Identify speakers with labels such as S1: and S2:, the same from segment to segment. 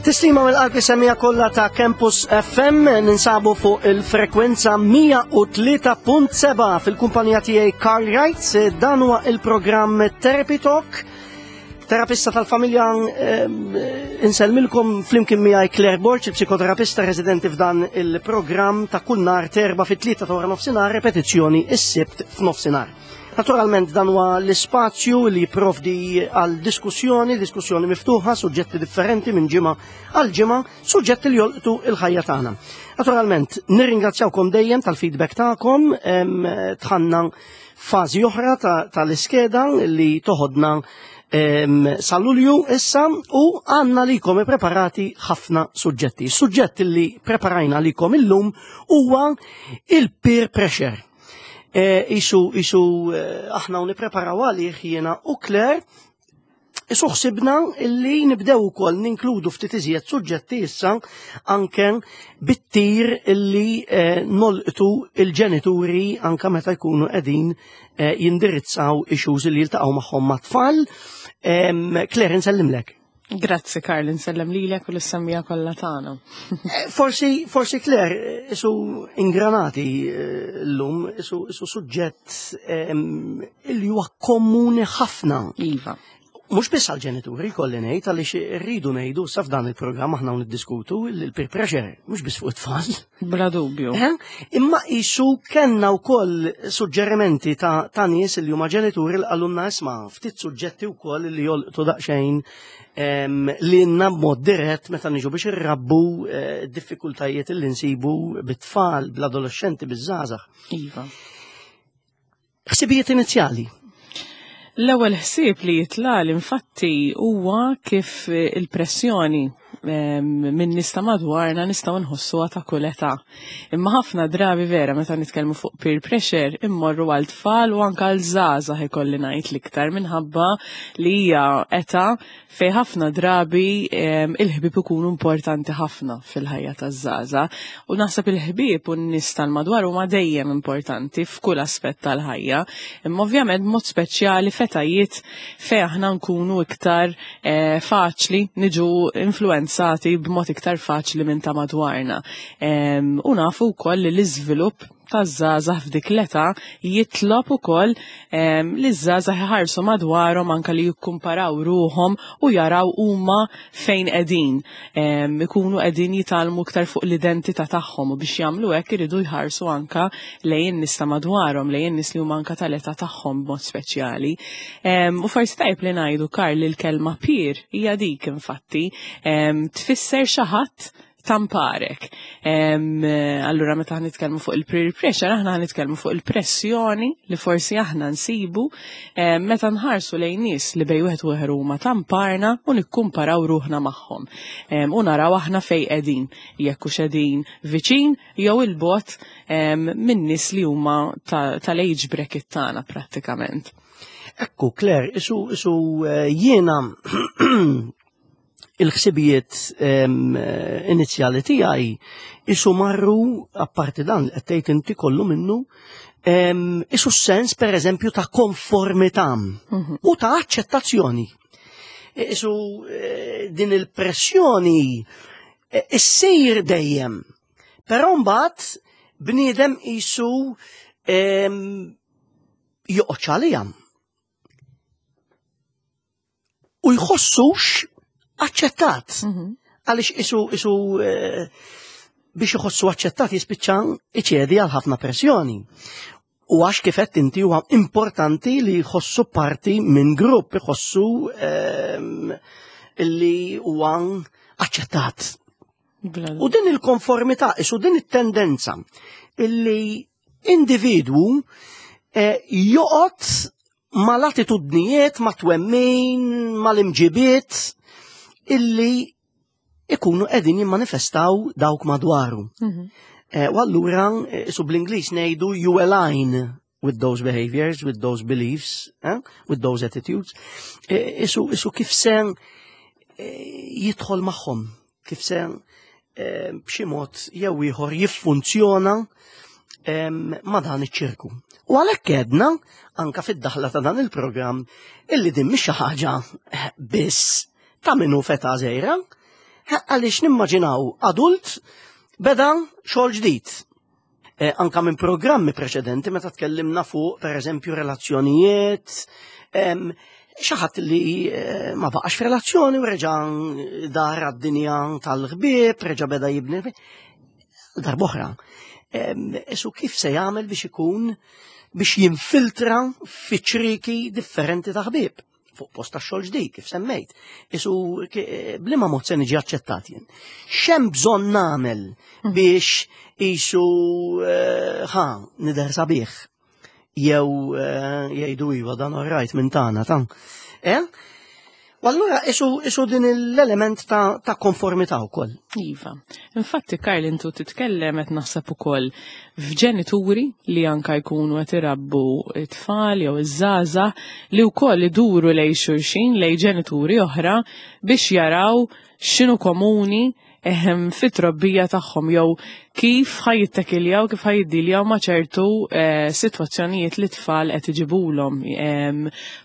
S1: Tislima mill-qalb semija kollha ta' Campus FM ninsabu fuq il-frekwenza 103.7 fil-kumpanija tiegħi Carl Wright. Dan huwa il-programm Therapy Talk. Terapista tal-familja eh, insellmilkom flimkien miegħi Claire Borg, il-psikoterapista residenti f'dan il-programm ta' kull nhar terba fit-tlieta ta' wara nofsinhar, repetizzjoni is-sibt f'nofsinhar. Naturalment dan huwa l-ispazju li jipprovdi għal diskussjoni, diskussjoni miftuħa, suġġetti differenti minn ġimgħa għal ġimgħa, suġġetti li jolqtu il-ħajja tagħna. Naturalment, nirringrazzjawkom dejjem tal-feedback tagħkom, tħanna fażi oħra tal-iskeda li toħodna sal-Lulju issa u għanna likom preparati ħafna suġġetti. Suġġett li preparajna likom illum huwa il-peer pressure. Eh, isu, isu eh, aħna u nipreparaw għalih jiena u Claire, isu ħsibna illi nibdew ukoll ninkludu ftit iżjed suġġetti issa anke bit-tir illi eh, nolqtu il-ġenituri anke meta jkunu qegħdin jindirizzaw issues li jiltaqgħu magħhom mat-tfal. Claire, nsellimlek.
S2: Grazzi Karl, nsellem lilek u l-semmija kollha tagħna.
S1: Eh, forsi, forsi Claire, isu ingranati eh, llum, isu, isu suġġett li huwa komuni ħafna.
S2: Iva.
S1: Mhux biss għall-ġenituri kolli ngħid għaliex irridu ngħidu sa f'dan il-programm aħna niddiskutu il-peer pressure, mhux biss fuq it-tfal.
S2: Bla dubju.
S1: Eh? Imma isu kellna wkoll suġġerimenti ta', ta nies li huma ġenituri li qalulna isma' ftit suġġetti wkoll li jolqtu daqsxejn li għandna b'mod dirett meta niġu biex irrabbu eh, diffikultajiet li nsibu bit-tfal, bl-adolescenti, biż-żgħażagħ.
S2: Iva.
S1: Ħsibijiet inizjali.
S2: L-ewwel ħsieb li jitlal infatti huwa kif il-pressjoni minn nies ta' madwarna nistgħu nħossuha ta' kull età. Imma ħafna drabi vera meta nitkellmu fuq peer pressure immorru għal tfal u anke għal żgħażagħ ikolli ngħid l-iktar minħabba li hija età fejn ħafna drabi il-ħbieb ikunu importanti ħafna fil-ħajja taż-żgħażagħ. U naħseb il-ħbieb u n-nies tal-madwar huma dejjem importanti f'kull aspett tal-ħajja. Imma ovvjament b'mod speċjali f'etajiet fejn aħna nkunu iktar eh, faċli niġu influenzati b'mod iktar faċli minn ta' madwarna. U nafu wkoll li l-iżvilupp taż-żgħażagħ f'dik l-età jitlob ukoll ehm, li ż-żgħażagħ iħarsu madwarhom anke li jikkumparaw ruħhom u jaraw huma fejn qegħdin. Ehm, ikunu qegħdin jitgħallmu iktar fuq l-identità tagħhom u biex jagħmlu hekk iridu jħarsu anke lejn in-nies ta' madwarhom, lejn in-nies li huma anke tal-età tagħhom b'mod speċjali. Ehm, u forsi tajb li ngħidu Karl li l-kelma peer hija dik infatti tfisser xi ħadd tamparek. Allura meta nitkellmu fuq il-peer pressure, aħna nitkellmu fuq il-pressjoni li forsi aħna nsibu meta nħarsu lejn nies li bej wieħed u ieħor huma tamparna u nikkumparaw ruħna magħhom. U naraw aħna fejn qegħdin, jekk hux qegħdin viċin jew il-bot minn nies li huma tal-age bracket tagħna prattikament.
S1: Ekku, Claire, isu, isu eh, jiena il-ħsibijiet inizjali tiegħi isu marru apparti dan li qed tgħid inti kollu minnu isu sens per eżempju ta' konformità mhm. u ta' aċċettazzjoni. E, isu eh, din il-pressjoni e, issir dejjem. Però mbagħad bniedem isu joqgħod għalija. u jħossux aċċettat. Mhm. Għaliex isu isu eh, biex iħossu aċċettat jispiċċa iċedi għal ħafna pressjoni. U għax kifett inti huwa importanti li jħossu parti minn grupp, jħossu ehm, li huwa aċċettat. U din il-konformità, isu din it-tendenza illi individwu eh, joqgħod mal-attitudnijiet, ma' twemmin, mal-imġibiet illi ikunu qegħdin jimmanifestaw dawk madwaru. Mhm. Eh, u allura, eh, su bl-Ingliż ngħidu you align with those behaviors, with those beliefs, eh, with those attitudes. Isu, isu kif se jidħol magħhom kif se eh, b'xi mod jew ieħor jiffunzjona ma' dan iċ-ċirku. U għalhekk għedna anka fid-daħla ta' dan il-programm illi din mhix xi ħaġa eh, biss ta' minnu feta żejra. Għaliex nimmaġinaw adult beda xogħol ġdid. Eh, anka minn programmi preċedenti meta tkellimna fuq pereżempju relazzjonijiet, xi ħadd li eh, ma baqax f'relazzjoni u reġa' dar għad-dinja tal-ħbieb, reġa' beda jibni darboħra. Isu kif se jagħmel biex ikun biex jinfiltra fi ċriki differenti ta' ħbieb fuq post ta' xogħol ġdid kif semmejt. Isu bliema mod se niġi aċċettat jien. X'hemm bżonn nagħmel biex isu eh, ħa nidher sabiħ jew eh, jgħidu iva dan orrajt minn tagħna ta' Eh? U allura isu, isu din l-element ta', ta konformità wkoll.
S2: Iva. Infatti Karl intu titkellem qed naħseb ukoll f'ġenituri li anka jkunu qed irabbu it-tfal jew iż-żgħażagħ li wkoll iduru lej xulxin lej ġenituri oħra biex jaraw x'inhu komuni ehm, fit-trobbija tagħhom jew kif ħajittekiljaw, kif ħajiddiljaw ma' ċertu eh, sitwazzjonijiet li tfal qed iġibulhom. Ehm,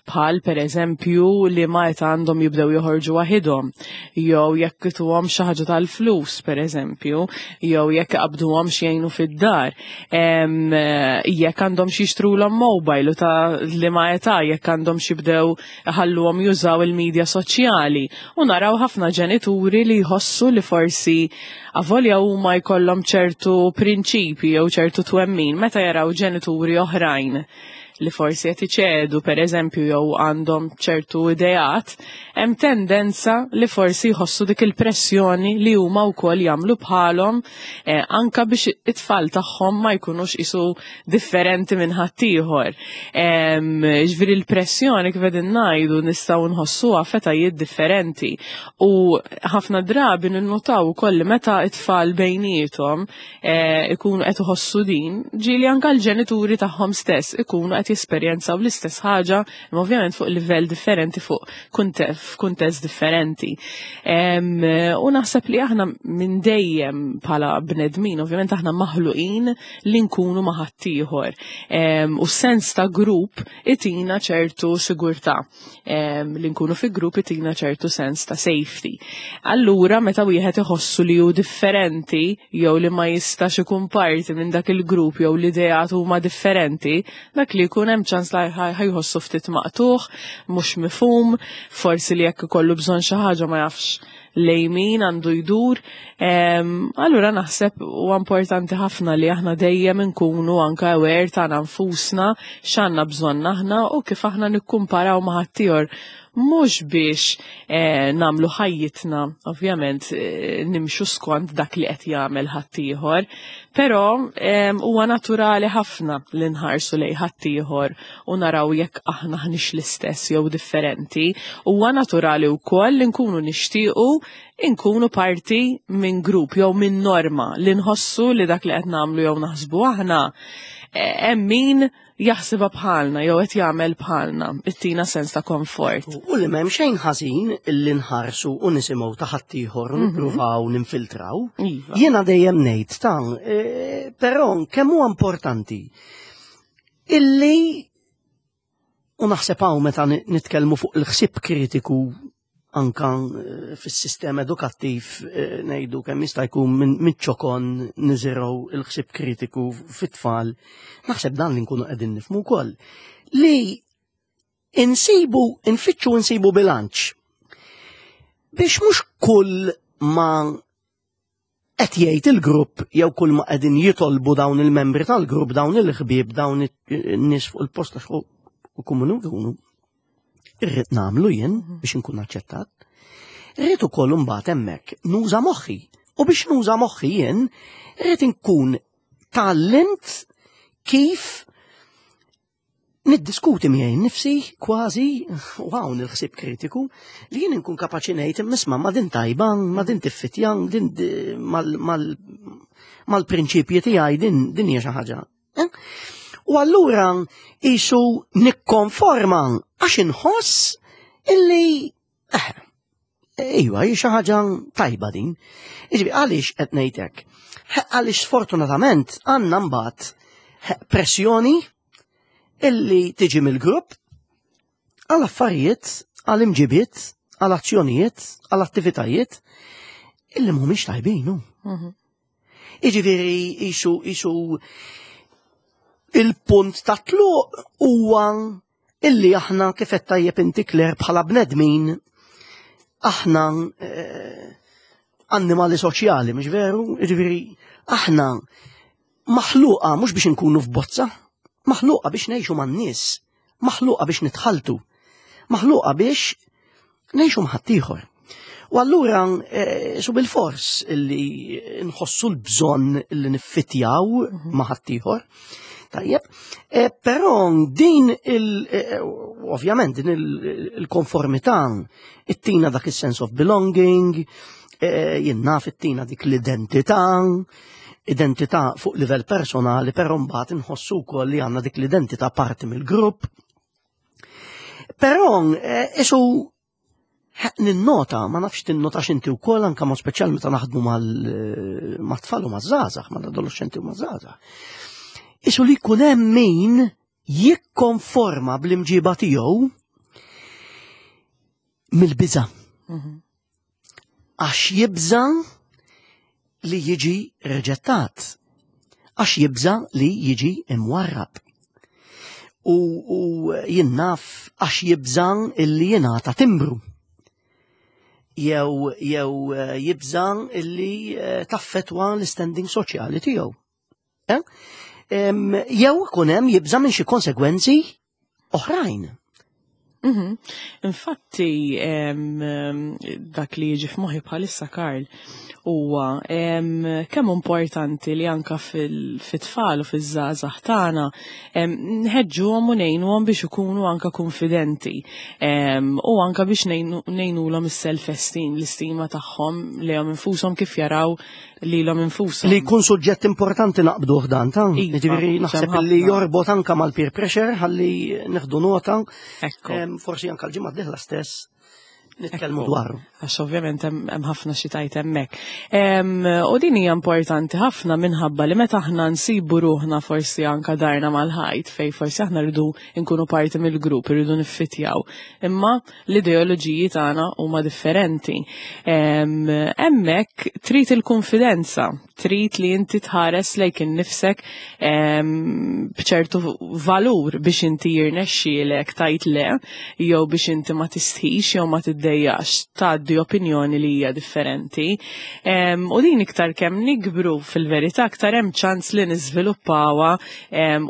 S2: bħal pereżempju li ma qed għandhom jibdew joħorġu waħidhom, jew jekk ituhom xi ħaġa tal-flus pereżempju, jew jekk iqabduhom jgħinu fid-dar, ehm, jekk għandhom xi jixtrulhom mobile u ta' liema età jekk għandhom xi jibdew iħalluhom jużaw il-medja soċjali. U naraw ħafna ġenituri li jħossu li forsi avolja huma jkollhom ċertu prinċipi jew ċertu twemmin meta jaraw ġenituri oħrajn li forsi qed iċedu pereżempju jew għandhom ċertu ideat, hemm tendenza li forsi jħossu dik il-pressjoni li huma wkoll jagħmlu bħalhom eh, anka biex it-tfal tagħhom ma jkunux isu differenti minn ħaddieħor. Ġifieri l-pressjoni kif qegħdin ngħidu nistgħu nħossuha f'etajiet differenti u ħafna drabi ninnotaw ukoll li meta it-tfal bejniethom eh, ikunu qed iħossu din, ġieli anka l-ġenituri tagħhom stess ikunu qed jesperjenzaw l-istess ħaġa, imma ovvjament fuq livell differenti, fuq f'kuntest differenti. U naħseb li aħna minn dejjem bħala bnedmin, ovvjament aħna maħluqin li nkunu ma' ħaddieħor. U sens ta' grupp itina ċertu sigurtà. Li nkunu fi grupp itina ċertu sens ta' safety. Allura meta wieħed iħossu li hu differenti jew li ma jistax ikun parti minn dak il-grupp jew l-ideat huma differenti, dak li jkun hemm ċans li ħajħossu ftit maqtuħ, mhux mifhum, forsi li jekk ikollu bżonn xi ħaġa ma jafx lejn min għandu jdur. Allura naħseb huwa importanti ħafna li aħna dejjem nkunu anka aware tagħna nfusna x'għandna bżonn aħna u kif aħna nikkumparaw ma' ħaddieħor mhux biex eh, namlu ħajjitna, ovvjament eh, nimxu skont dak li qed jagħmel ħaddieħor, però huwa naturali ħafna li nħarsu lej ħaddieħor u naraw jekk aħna ħnix l-istess jew differenti. Huwa naturali wkoll li nkunu nixtiequ inkunu parti minn grupp jew minn norma li nħossu li dak li qed nagħmlu jew naħsbu aħna eh, hemm min jaħsibha bħalna jew qed jagħmel bħalna, ittina sens ta' komfort.
S1: U li m'hemm xejn ħażin illi nħarsu u nisimgħu ta' ħaddieħor u nippruvaw ninfiltraw. Jiena dejjem ngħid ta' eh, però kemm huwa importanti illi u naħseb hawn meta nitkellmu fuq il-ħsieb kritiku anka eh, fis-sistema edukattiv eh, ngħidu kemm jista' jkun minn ċokon niżirgħu il-ħsieb kritiku fit-tfal, naħseb dan li nkunu qegħdin nifhmu wkoll. Li insibu, infittxu insibu bilanċ biex mhux kull ma qed jgħid il-grupp jew kull ma qegħdin jitolbu dawn il-membri tal-grupp, dawn il-ħbieb, dawn in-nies fuq il-post għax u kumunu jkunu. Irrid nagħmlu jien biex inkun aċċettat. Irrid ukoll imbagħad hemmhekk nuża moħħi. U biex nuża moħħi jien, irrid inkun tgħallimt kif niddiskuti miegħi nnifsi kważi u hawn il-ħsieb kritiku li jien inkun kapaċi ngħid misma' ma din tajba, ma din tiffitja, din mal-prinċipji tiegħi din din hija xi ħaġa. Eh? U allura isu nikkonforma għax inħoss illi eh, Iva, hi xi ħaġa tajba din. Iġbi, għaliex qed ngħidlek? Għaliex sfortunatament għandna mbagħad pressjoni illi tiġi mill-grupp għal affarijiet, għal imġibiet, għal azzjonijiet, għal attivitajiet Illi mhumiex tajbin, hu. Iġifieri isu isu il-punt ta' tluq huwa illi aħna kif qed tajjeb inti Claire bħala bnedmin aħna eh, annimali soċjali, mhux veru? Jiġifieri aħna maħluqa mhux biex inkunu f'bozza, maħluqa biex ngħixu man-nies, maħluqa biex nitħaltu, maħluqa biex ngħixu mħaddieħor. U allura eh, su bil-fors li nħossu l-bżonn li niffitjaw mhm. ma' ħaddieħor. Tajjeb, eh, però din il eh, ovvjament din il-konformità ittina dak is-sense of belonging, jien naf ittina dik l-identità, identità fuq livell personali, però mbagħad inħossu wkoll li għandna dik l-identità parti mill-grupp. Però isu ninnota, ma nafx tinnotax inti wkoll anke mod speċjal meta naħdmu eh, mat-tfal u maż-żgħażagħ, mal-adolescenti u maż-żgħażagħ. Isu li jkun hemm min jikkonforma bl-imġiba tiegħu mill-biża'. Mhm. Għax jibża' li jiġi reġettat. Għax jibża' li jiġi imwarrab. U, u jien naf għax jibża' illi jingħata timbru. Jew jew eh, jibża' illi eh, taffetwa l-standing soċjali tiegħu. Eh? Jew ikun hemm jibża' minn xi konsegwenzi oħrajn.
S2: Mhm. Infatti, dak li jiġi f'moħħi bħalissa Karl huwa kemm importanti li anka fit-tfal u fiż-żgħażagħ tagħna nħeġġuhom u ngħinuhom biex ikunu anka konfidenti u anka biex ngħinulhom is-self-esteem, l-istima tagħhom lejhom infushom kif jaraw lilhom infushom.
S1: Li jkun suġġett importanti naqbduh dan ta' iva, Jiġifieri naħseb li jorbot anka mal-peer pressure ħalli neħdu nota. Forsi anka l-ġimgħa d-dieħla stess nitkellmu dwaru.
S2: Għax ovvjament hemm ħafna xi tajt hemmhekk. U din hija importanti ħafna minħabba li meta aħna nsibu ruħna forsi anka darna mal-ħajt fej forsi aħna rridu nkunu parti mill-grupp, irridu niffitjaw. Imma l-ideoloġiji tagħna huma differenti. Hemmhekk trid il-konfidenza, trid li inti tħares lejk innifsek b'ċertu valur biex inti jirnexxielek tajt le, jew biex inti ma tistħix jew ma tiddejjax tgħaddi opinjoni li hija differenti. U din iktar kemm nikbru fil-verità aktar hemm ċans li niżviluppawha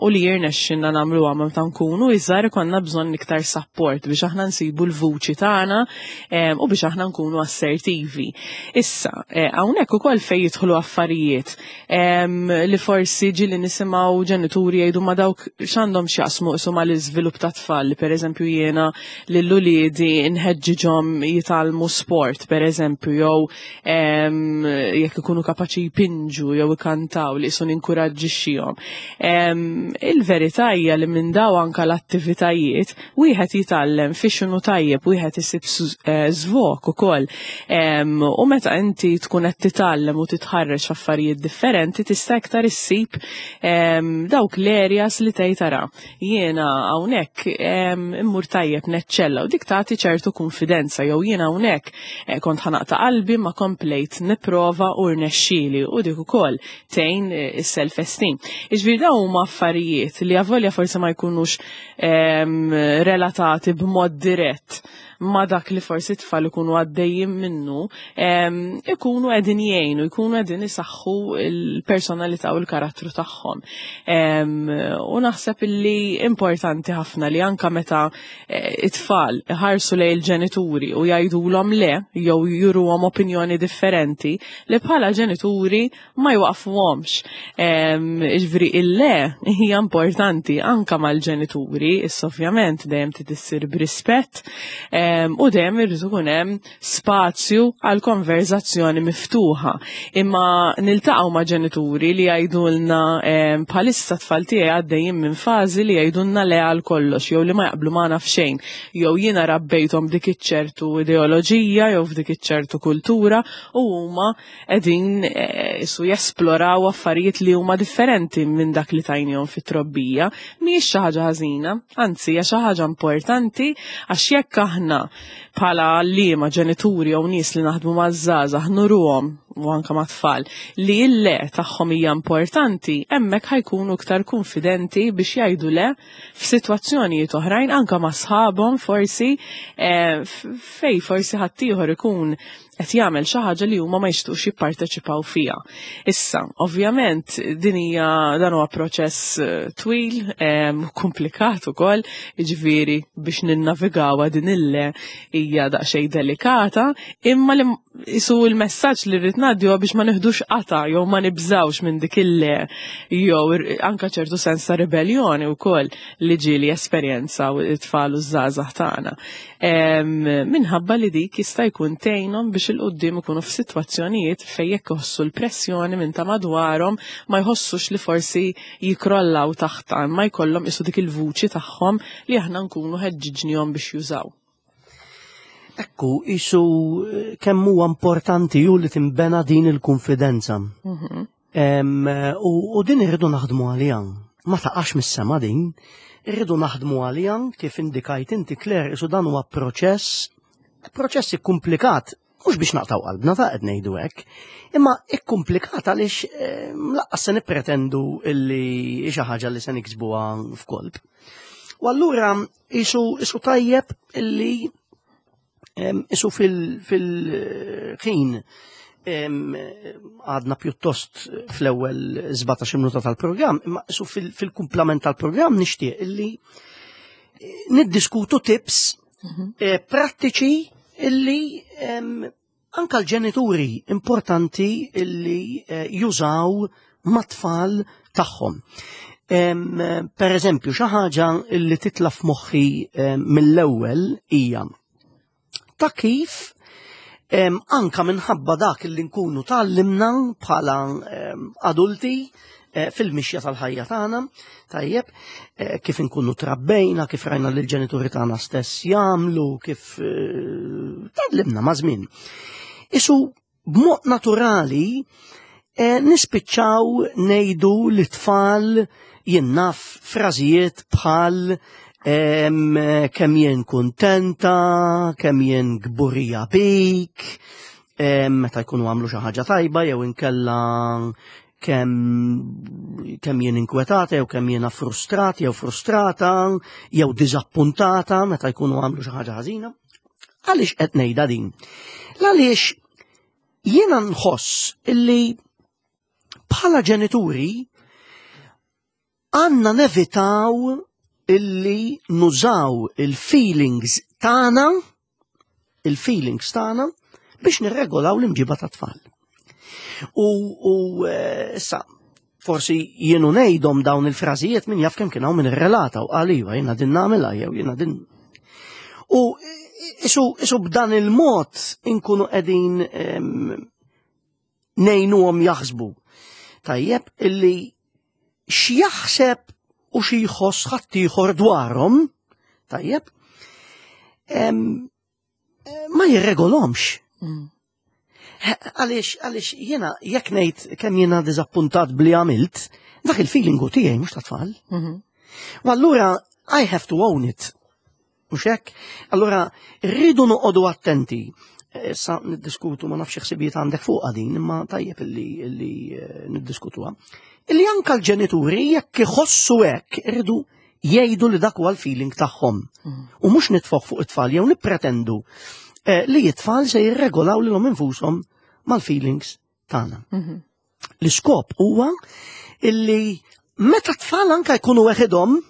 S2: u li jirnexxinna nagħmluha meta nkunu iżgħar ikollna bżonn iktar support biex aħna nsibu l-vuċi tagħna u biex aħna nkunu assertivi. Issa, eh, hawnhekk ukoll fejn jidħlu affarijiet li forsi ġieli nisimgħu ġenituri jgħidu ma dawk x'għandhom x'jaqsmu isu mal-iżvilupp ta' tfal li pereżempju jiena lil uliedi nħeġġiġhom jitgħallmu sport pereżempju jew jekk ikunu kapaċi jpinġu jew ikantaw li jisun inkuraġġixxihom. Il-verità hija li minn daw anka l-attivitajiet wieħed jitgħallem fi x'inhu tajjeb, wieħed isib eh, żvok ukoll. U meta inti tkun qed titgħallem u titħarreġ f'affarijiet differenti tista' iktar issib dawk l-areas li tgħid tara. Jiena hawnhekk immur tajjeb neċċella u dik tagħti ċertu kunfidenza jew jiena hawnhekk eh, kont ħanaqta qalbi ma komplejt nipprova u rnexxieli u dik ukoll tgħin eh, is-self-esteem. Iġifieri dawn huma affarijiet li avolja forsi ma jkunux relatati b'mod dirett ma dak li forsi tfal ikunu għaddejjin minnu, ikunu qegħdin jgħinu, ikunu qegħdin isaħħu l-personalità u l-karattru tagħhom. U naħseb illi importanti ħafna li anka meta eh, it-tfal iħarsu lejn il-ġenituri u jgħidulhom le jew juruhom opinjoni differenti li bħala ġenituri ma jwaqfuhomx. Ġifieri il-le hija importanti anka mal-ġenituri, issa ovvjament dejjem trid issir b'rispett u dejjem irid ikun hemm spazju għal konverzazzjoni miftuħa. Imma niltaqgħu ma' ġenituri li jgħidulna bħalissa tfal tiegħi għaddejjin minn fażi li jgħidulna le għal kollox jew li ma jaqblu magħna f'xejn jew jiena rabbejthom dik iċ-ċertu ideoloġija jew f'dik iċ-ċertu kultura u huma qegħdin eh, isu jesploraw affarijiet li huma differenti minn dak li tajnihom fit-trobbija, mhijiex xi ħaġa ħażina, anzi hija xi ħaġa importanti għax jekk aħna aħna bħala għalliema, ġenituri jew nies li naħdmu maż-żgħażagħ nuruhom u anke mat-tfal li l-le tagħhom hija importanti, hemmhekk ħa jkunu iktar kunfidenti biex jgħidu le f'sitwazzjonijiet oħrajn anke ma' sħabhom forsi eh, fej forsi ħaddieħor ikun qed jagħmel xi ħaġa li huma ma jixtuqx jipparteċipaw fiha. Issa, ovvjament din hija dan huwa proċess eh, twil, komplikat ukoll, jiġifieri biex ninnavigawha din il-le hija daqsxejn delikata, imma li isu l-messaġġ li rrid ngħaddi huwa biex ma nieħdux qata jew ma nibżawx minn dik il-le jew anka ċertu sens ta' ribelljoni wkoll li ġieli esperjenzaw it-tfal u ż-żgħażagħ tagħna. Minħabba li dik jista' jkun tgħinhom biex 'il quddiem ikunu f'sitwazzjonijiet fejn jekk iħossu l-pressjoni minn ta' madwarhom ma jħossux li forsi jikrollaw taħtha imma jkollhom isu dik il-vuċi tagħhom li aħna nkunu ħeġġiġnihom biex jużaw.
S1: Ekku, isu eh, kemm huwa importanti ju li timbena din il-konfidenza. Mhm. U din irridu naħdmu għalija. Ma taqax mis-sema din. Irridu naħdmu għalija kif indikajt inti Claire, isu dan huwa proċess, proċess ikkumplikat, mhux biex naqtaw qalbna ta' qed ngħidu hekk, imma ikkumplikat għaliex eh, laqqas se nippretendu illi xi ħaġa li se niksbuha f'kolb. U allura Isu, isu tajjeb illi isu fil-ħin għadna pjuttost fl-ewwel 17 minuta tal-programm, imma isu fil-kumplament tal-programm nixtieq illi eh, niddiskutu tips mhm. eh, prattiċi illi Anka l-ġenituri importanti illi eh, jużaw mat-tfal tagħhom. Per eżempju, xi ħaġa li titla' f'moħħi mill-ewwel hija ta' kif anka minħabba dak li nkunu tgħallimna bħala adulti eh, fil-mixja tal-ħajja tagħna, tajjeb, eh, kif inkunu trabbejna, kif rajna lil ġenituri tagħna stess jagħmlu, kif eh, tgħallimna ma' żmien. Isu b'mod naturali nispiċċaw ngħidu li tfal jinnaf frażijiet bħal kemm jien kuntenta, kemm jien gburija bik, meta jkunu għamlu xi ħaġa tajba jew inkella kemm kemm jien inkwetata jew kemm jiena frustrat jew frustrata jew diżappuntata meta jkunu għamlu xi ħaġa ħażina. Għaliex qed ngħidha din? Għaliex jiena nħoss illi bħala ġenituri Għandna nevitaw illi nużaw il-feelings tagħna, il-feelings tagħna biex nirregolaw l-imġiba ta' tfal. U, u eh, issa, forsi jienu ngħidhom dawn il-frażijiet min jaf kemm kien hawn min irrelata u qal iva jiena din nagħmilha jew jiena din. U isu, isu b'dan il-mod inkunu qegħdin ngħinuhom jaħsbu. Tajjeb illi x'jaħseb u xi jħoss ħaddieħor dwarhom, tajjeb, ma jirregolhomx. Mm. Għaliex, għaliex jiena jekk ngħid kemm jiena diżappuntat bli għamilt, dak il-feeling u tiegħi mhux ta' tfal. Mhm. U allura I have to own it. Mhux hekk? Allura rridu noqogħdu attenti. Issa niddiskutu ma nafx ħsibijiet għandek fuq din, imma tajjeb illi, illi eh, niddiskutuha. Illi anka l-ġenituri jekk iħossu hekk irridu jgħidu li dak huwa l-feeling tagħhom. Mm. U mhux nitfoħ fuq it-tfal jew nippretendu eh, li it-tfal se jirregolaw lilhom infushom mal-feelings tagħna. Mhm. L-iskop huwa illi meta tfal anka jkunu weħidhom,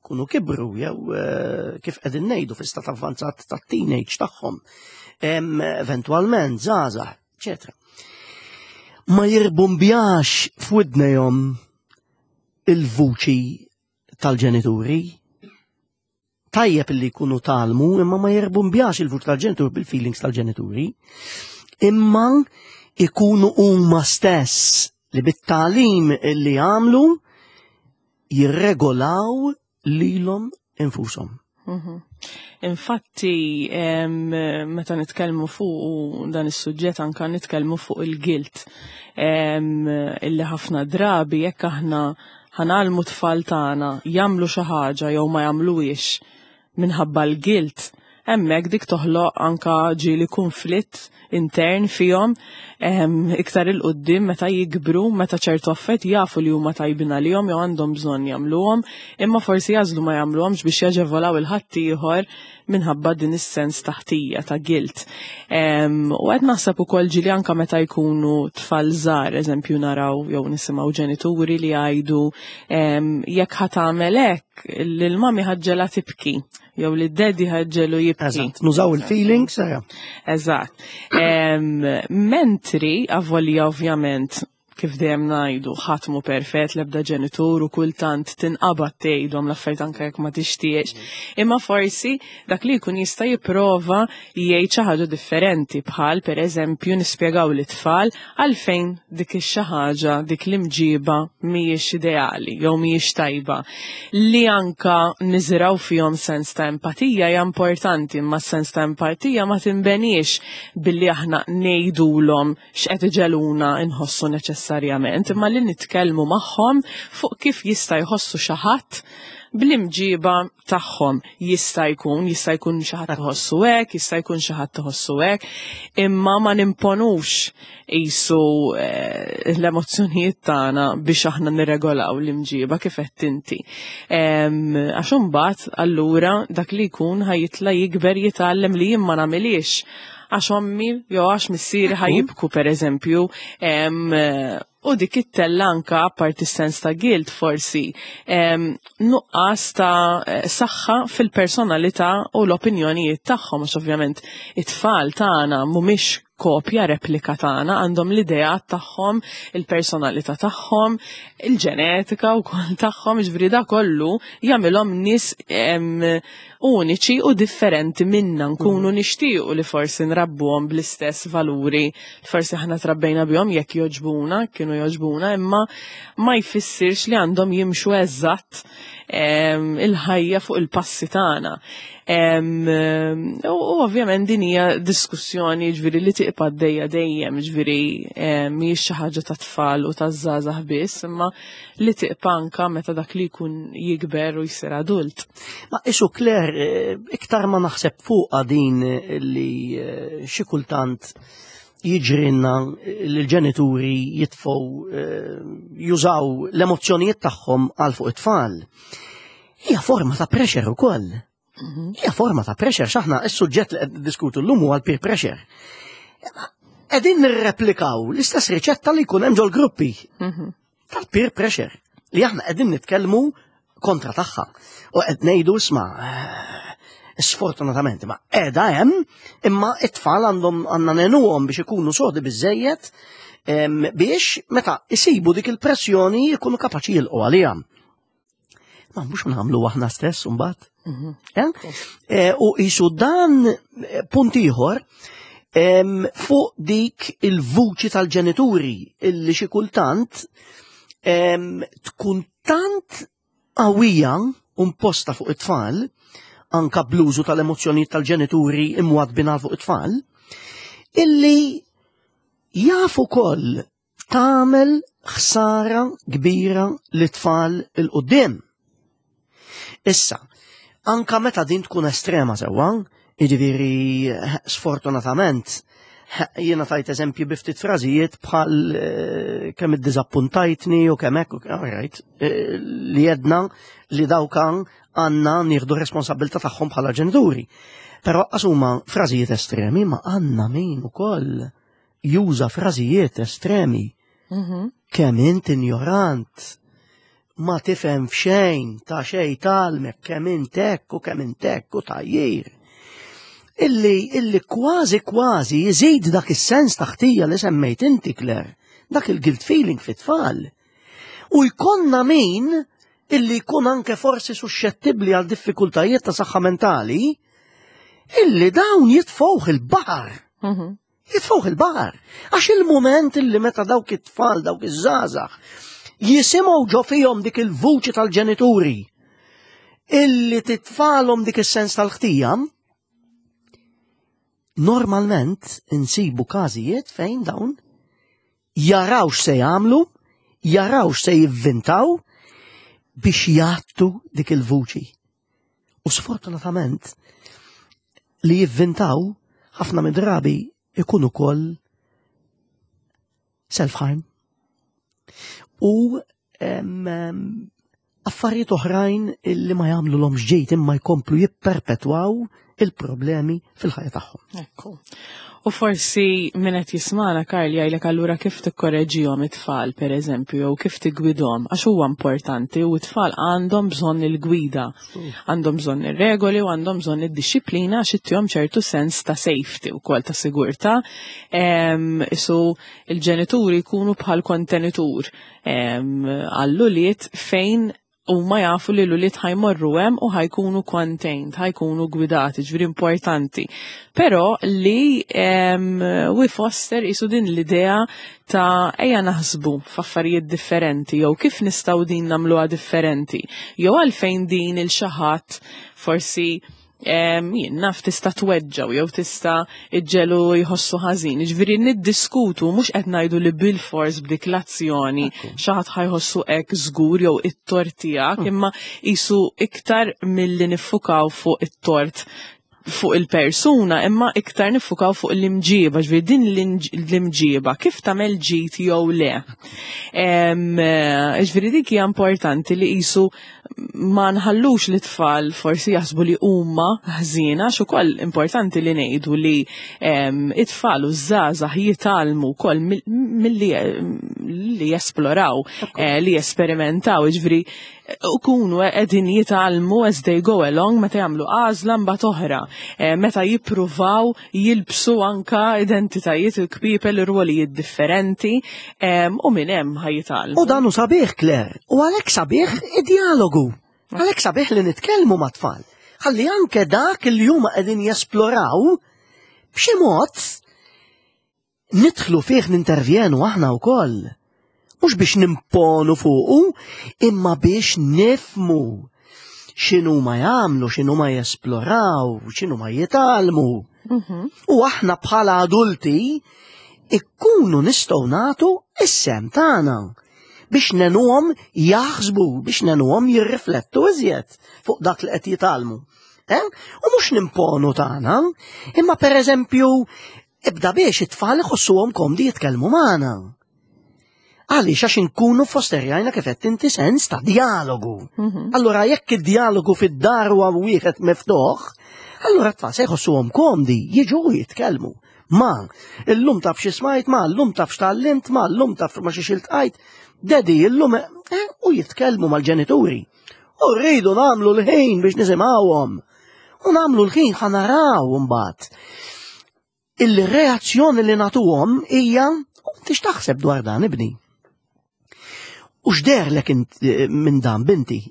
S1: kunu kibru jew eh, kif qegħdin ngħidu fi stat avvanzat tat-teenage tagħhom, eventwalment żgħażagħ, eċetera. Ma jirbumbjax f'widnejhom il-vuċi tal-ġenituri, tajjeb li jkunu talmu imma ma jirbumbjax il-vuċi tal-ġenituri bil-feelings tal-ġenituri, imma ikunu huma stess li bit-talim li għamlu jirregolaw lilhom infushom. Mhm.
S2: Infatti, meta nitkellmu fuq dan is-suġġett anka nitkellmu fuq il-gilt illi ħafna drabi jekk aħna ħanalmu tfal tagħna jagħmlu xi ħaġa jew ma jagħmluhiex minħabba l-gilt, Hemmhekk dik toħloq anka ġieli kunflitt intern fihom iktar 'il quddiem meta jikbru, meta ċertu affarijiet jafu li huma tajbin għalihom jew għandhom bżonn jagħmluhom, imma forsi jagħżlu ma jagħmluhomx biex jaġevolaw 'il ħaddieħor minħabba din is-sens ta' ħtija, ta' guilt. U qed naħseb ukoll ġieli anka meta jkunu tfal żgħar, eżempju naraw jew nisimgħu ġenituri li jgħidu jekk ħa tagħmel hekk, lil mami ħaġġela tibki jew li d-daddy ħaġġelu jibki.
S1: Eżatt, nużaw il-feelings. Eh.
S2: Eżatt. Mentri, avolja ovvjament, kif dejjem ngħidu, ħadd mhu perfett l-ebda ġenitur u kultant tinqabad tgħidhom l-affarijiet anke jekk ma tixtieqx. Imma forsi dak li jkun jista' jipprova jgħid xi ħaġa differenti bħal pereżempju nispjegaw lit-tfal għalfejn dik ix-xi ħaġa, dik l-imġiba mhijiex ideali jew mhijiex tajba. Li anka niżirgħu fihom sens ta' empatija hija importanti, imma s-sens ta' empatija ma tinbeniex billi aħna ngħidulhom x'qed iġegħluna nħossu neċessarjament, imma li nitkellmu magħhom fuq kif jista' jħossu xi ħadd bl-imġiba tagħhom. Jista' jkun, jista' jkun xi ħadd iħossu hekk, jista' jkun xi ħadd iħossu hekk, imma ma nimponux qisu eh, l-emozzjonijiet tagħna biex aħna nirregolaw l-imġiba kif qed inti. Għax imbagħad allura dak li jkun ħajitla jikber jitgħallem li jien ma nagħmilix għax ommi jew għax missieri ħajibku pereżempju u dik it-tella anka apparti sens ta' guilt forsi nuqqas ta' saħħa fil-personalità u l-opinjonijiet tagħhom għax ovvjament it-tfal tagħna mhumiex kopja replika tagħna, għandhom l-ideat tagħhom, il-personalità tagħhom, il-ġenetika wkoll tagħhom, jiġifieri da kollu jagħmilhom nies uniċi u differenti minna nkunu mhm. nixtiequ li forsi nrabbuhom bl-istess valuri forsi aħna trabbejna bihom jekk joġbuna, kienu joġbuna, imma ma jfissirx li għandhom jimxu eżatt il-ħajja fuq il-passi tagħna. U ovvjament din hija diskussjoni ġviri li tiqpa dejja dejjem, ġviri mhijiex xi ħaġa ta' tfal u ta' żgħażagħ biss, imma li tiqpa anka meta dak li jkun jikber u jsir adult.
S1: Ma isu Claire, eh, iktar ma naħseb fuqha din li eh, xi kultant jiġrinna li l-ġenituri jitfgħu eh, jużaw l-emozzjonijiet tagħhom għal fuq it-tfal. Hija forma ta' pressure ukoll. Mhm. Hija forma ta' pressure x'aħna s-suġġett li qed diskutu llum huwa l-peer pressure. Qegħdin nirreplikaw l-istess riċetta li jkun hemm ġol-gruppi mhm. tal-peer pressure li aħna qegħdin nitkellmu kontra tagħha. U qed ngħidu isma' eh, sfortunatament ma qiegħda hemm imma it-tfal għandhom għandna nenuhom biex ikunu sodi biżejjed biex meta isibu dik il-pressjoni jkunu kapaċi jilqu għaliha. Ma mhux nagħmlu aħna stess imbagħad. Mhm. Eh? Eh, u jisu dan eh, punt ieħor fuq dik il-vuċi tal-ġenituri illi xi kultant tkun tant qawwija u mposta fuq it-tfal, anka bl-użu tal-emozzjonijiet tal-ġenituri imwadbin fuq it-tfal, illi jafu koll tagħmel ħsara kbira lit-tfal il-qudiem. Issa, anka meta din tkun estrema sewwa, jiġifieri sfortunatament, jiena tajt eżempji bi ftit frażijiet bħal eh, kemm iddiżappuntajtni u kemm hekk, right, eh, li jedna li dawk għandna nieħdu responsabilità tagħhom bħala ġenituri. Però qas huma frażijiet estremi ma għandna min ukoll juża frażijiet estremi. Mhm. Kemm int injorant, ma tifhem f'xejn ta' xejn talmek kemm int hekk u kemm int hekk u tajjir. Illi, illi kważi kważi jżid dak is-sens ta' ħtija li semmejt inti Claire, dak il-guilt feeling fit-tfal. U jkollna min illi jkun anke forsi suscettibbli għal diffikultajiet ta' saħħa mentali, illi dawn jitfgħuh il-baħar. Mhm. Jitfgħuh il-baħar. Għax il-moment illi meta dawk it-tfal, dawk iż-żgħażagħ, jisimgħu ġo fihom dik il-vuċi tal-ġenituri illi titfalhom dik is-sens tal-ħtija, normalment insibu każijiet fejn dawn jaraw x'se jagħmlu, jaraw x'se jivvintaw biex jgħattu dik il-vuċi. U sfortunatament, li jivvintaw ħafna mid-drabi ikun ukoll self-harm. U affarijiet oħrajn li ma jagħmlu l ġejt imma jkomplu jipperpetwaw il-problemi fil-ħajja tagħhom.
S2: Ekku. U forsi min qed jismana Karl jgħidlek allura kif tikkoreġihom it-tfal pereżempju jew kif tiggwidhom għax huwa importanti u t-tfal għandhom bżonn il-gwida, għandhom bżonn ir-regoli u għandhom bżonn id-dixxiplina għax ittihom ċertu sens ta' safety wkoll ta' sigurtà. Isu il-ġenituri jkunu bħal kontenitur għall-ulied fejn huma jafu li l-ulied ħajmorru hemm u ħajkunu contained, ħajkunu gwidati, ġifieri importanti. Però li we foster isu din l-idea ta' ejja naħsbu f'affarijiet differenti jew kif nistgħu din nagħmluha differenti, jew għalfejn din il xi ħadd forsi jien naf tista' tweġġaw jew tista' iġġelu jħossu ħażin. Ġifieri niddiskutu mhux qed ngħidu li bil-fors b'dik l-azzjoni xi ħadd ħajħossu hekk żgur jew it-tort tiegħek, imma qisu iktar milli niffukaw fuq it-tort fuq il-persuna, imma iktar niffukaw fuq l-imġiba, ġifieri din l-imġiba kif tagħmel ġid jew le. Ġifieri dik hija importanti li qisu ma nħallux li tfal forsi jaħsbu li huma ħżiena, għax ukoll importanti li ngħidu li it-tfal u żgħażagħ jitgħallmu wkoll milli li jesploraw, li jesperimentaw, ġifieri ukunu qegħdin jitgħallmu as they go along meta jagħmlu għażla mbagħad oħra, meta jippruvaw jilbsu anka identitajiet il-kpiepel ir-rwolijiet differenti, u minn hemm ħajjitgħallmu.
S1: U dan hu sabiħ, Claire, u għalhekk sabiħ id-dialogu. Għalhekk sabiħ li nitkellmu mat-tfal. Ħalli anke dak li huma qegħdin jesploraw b'xi mod nidħlu fih, nintervjenu aħna wkoll. Mhux biex nimponu fuqu, imma biex nifmu x'inhu ma jagħmlu, x'inhu ma jesploraw, x'inhu ma jitgħallmu. U aħna bħala adulti ikkunu nistgħu nagħtu is-sehem tagħna biex ngħinuhom jaħsbu, biex ngħinuhom jirriflettu iżjed fuq dak li qed jitgħallmu. U mhux nimponu tagħna, imma pereżempju ibda biex it-tfal iħossuhom komdi jitkellmu magħna. Għaliex għax inkunu fosterjajna kif qed inti sens ta' dialogu. Allura jekk id-dialogu fid-dar huwa wieħed miftuħ, allura t-tfal se jħossuhom komdi jiġu u jitkellmu. Ma, illum taf xi smajt, ma, illum taf x'tgħallimt, ma, illum taf ma xi xiltqajt, daddy, illum, u jitkellmu mal-ġenituri. U rridu nagħmlu l-ħin biex nisimgħuhom. U nagħmlu l-ħin ħa naraw imbagħad. Il-reazzjoni li nagħtuhom hija, u inti x'taħseb dwar dan, ibni? U x'deherlek minn dan, binti?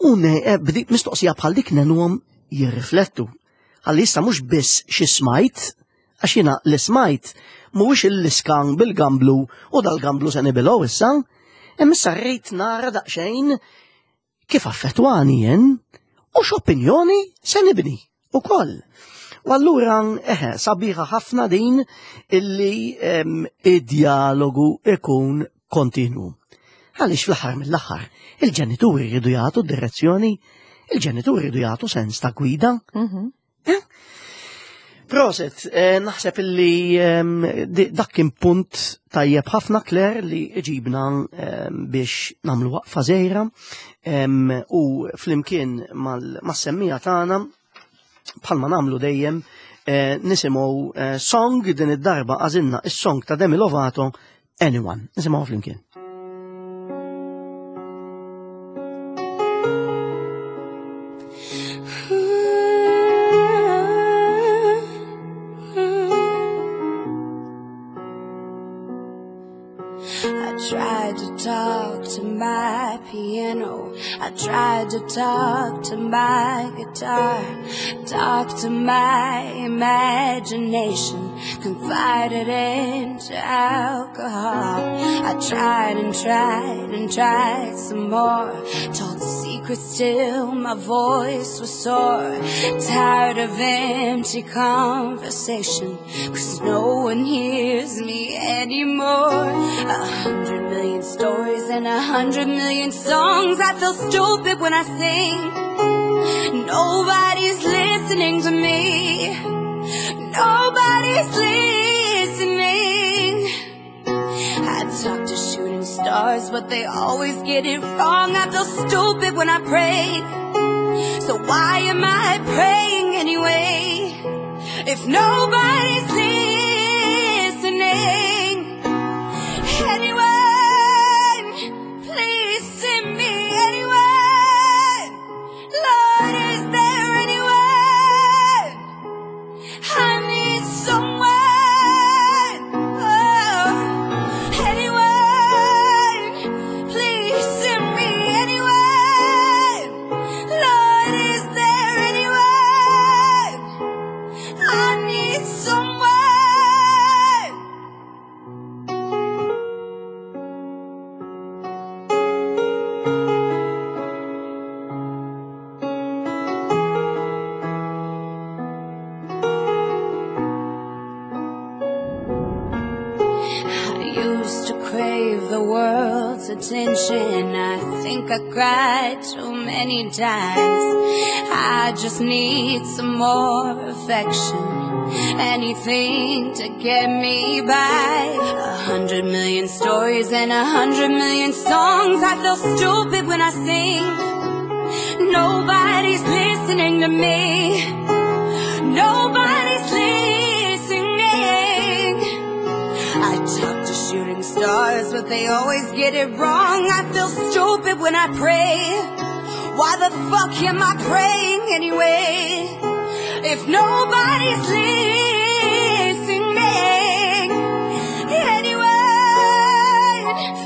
S1: U bdik mistoqsija bħal dik ngħinuhom jirriflettu. Għalli issa mhux biss xi smajt, għax jiena li smajt mhuwiex il-liskan bil-gamblu u dal-gamblu se nibilgħu issa, imma issa rrid nara daqsxejn kif affettwani jien u x'opinjoni se nibni ukoll. U allura, sabiħa ħafna din illi id-dialogu ikun kontinu. Għaliex fl-aħħar mill-aħħar, il-ġenituri jridu jagħtu direzzjoni, il-ġenituri jridu jagħtu sens ta' gwida. Proset, naħseb illi dak kien punt tajjeb ħafna, Claire, li ġibna biex nagħmlu waqfa żgħira, u flimkien mas-semmija tagħna bħalma nagħmlu dejjem nisimgħu song din id-darba għażilna is-song ta' Demi Lovato, Anyone. Nisimgħu flimkien.
S3: Tried to talk to my piano, I tried to talk to my guitar, talk to my imagination, confided into alcohol. I tried and tried and tried some more, told secrets till my voice was sore, tired of empty conversation, because no one hears me anymore. 100 million stories and 100 million songs. I feel stupid when I sing. Nobody's listening to me. Nobody's listening. I talk to shooting stars, but they always get it wrong. I feel stupid when I pray. So why am I praying anyway? If nobody's listening, anyone, please send me anyone. Lord, is there anyone? I need someone. Oh, anyone, please send me anyone. Lord, is there anyone? I need someone. I used to crave the world's attention. I think I cried too many times. I just need some more affection. Anything to get me by. 100 million stories and 100 million songs. I feel stupid when I sing. Nobody's listening to me. Nobody's listening. I talk to shooting stars, but they always get it wrong. I feel stupid when I pray. Why the fuck am I praying anyway? If nobody's listening, anyone,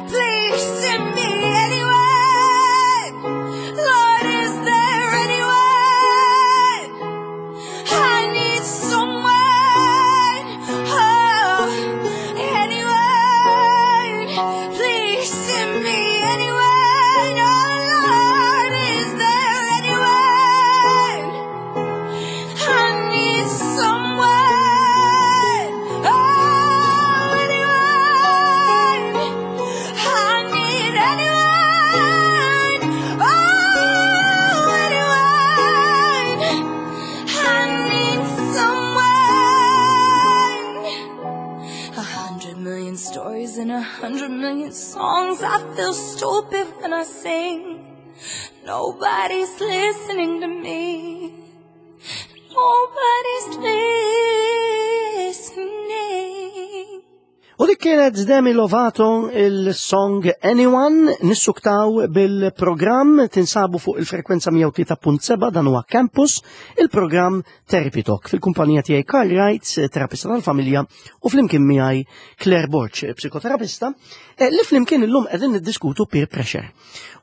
S3: please send me anyone. Lord, is there anyone? I need someone. Oh, anyone, please send me anyone. Oh, Lord, is there anyone? I need someone. Oh, anyone. I need anyone. Oh, anyone. I need someone. 100 million stories and 100 million songs. I feel stupid when I sing. Nobody's listening to me. Nobody's listening.
S1: U dik kienet Demi Lovato il-song Anyone, nissuktaw bil-programm tinsabu fuq il-frekwenza 103.7 dan huwa Campus, il-programm Therapy Talk fil-kumpanija tiegħi Karl Wright, terapista tal-familja, u flimkien miegħi Claire Borg, psikoterapista, li flimkien illum qegħdin niddiskutu peer pressure.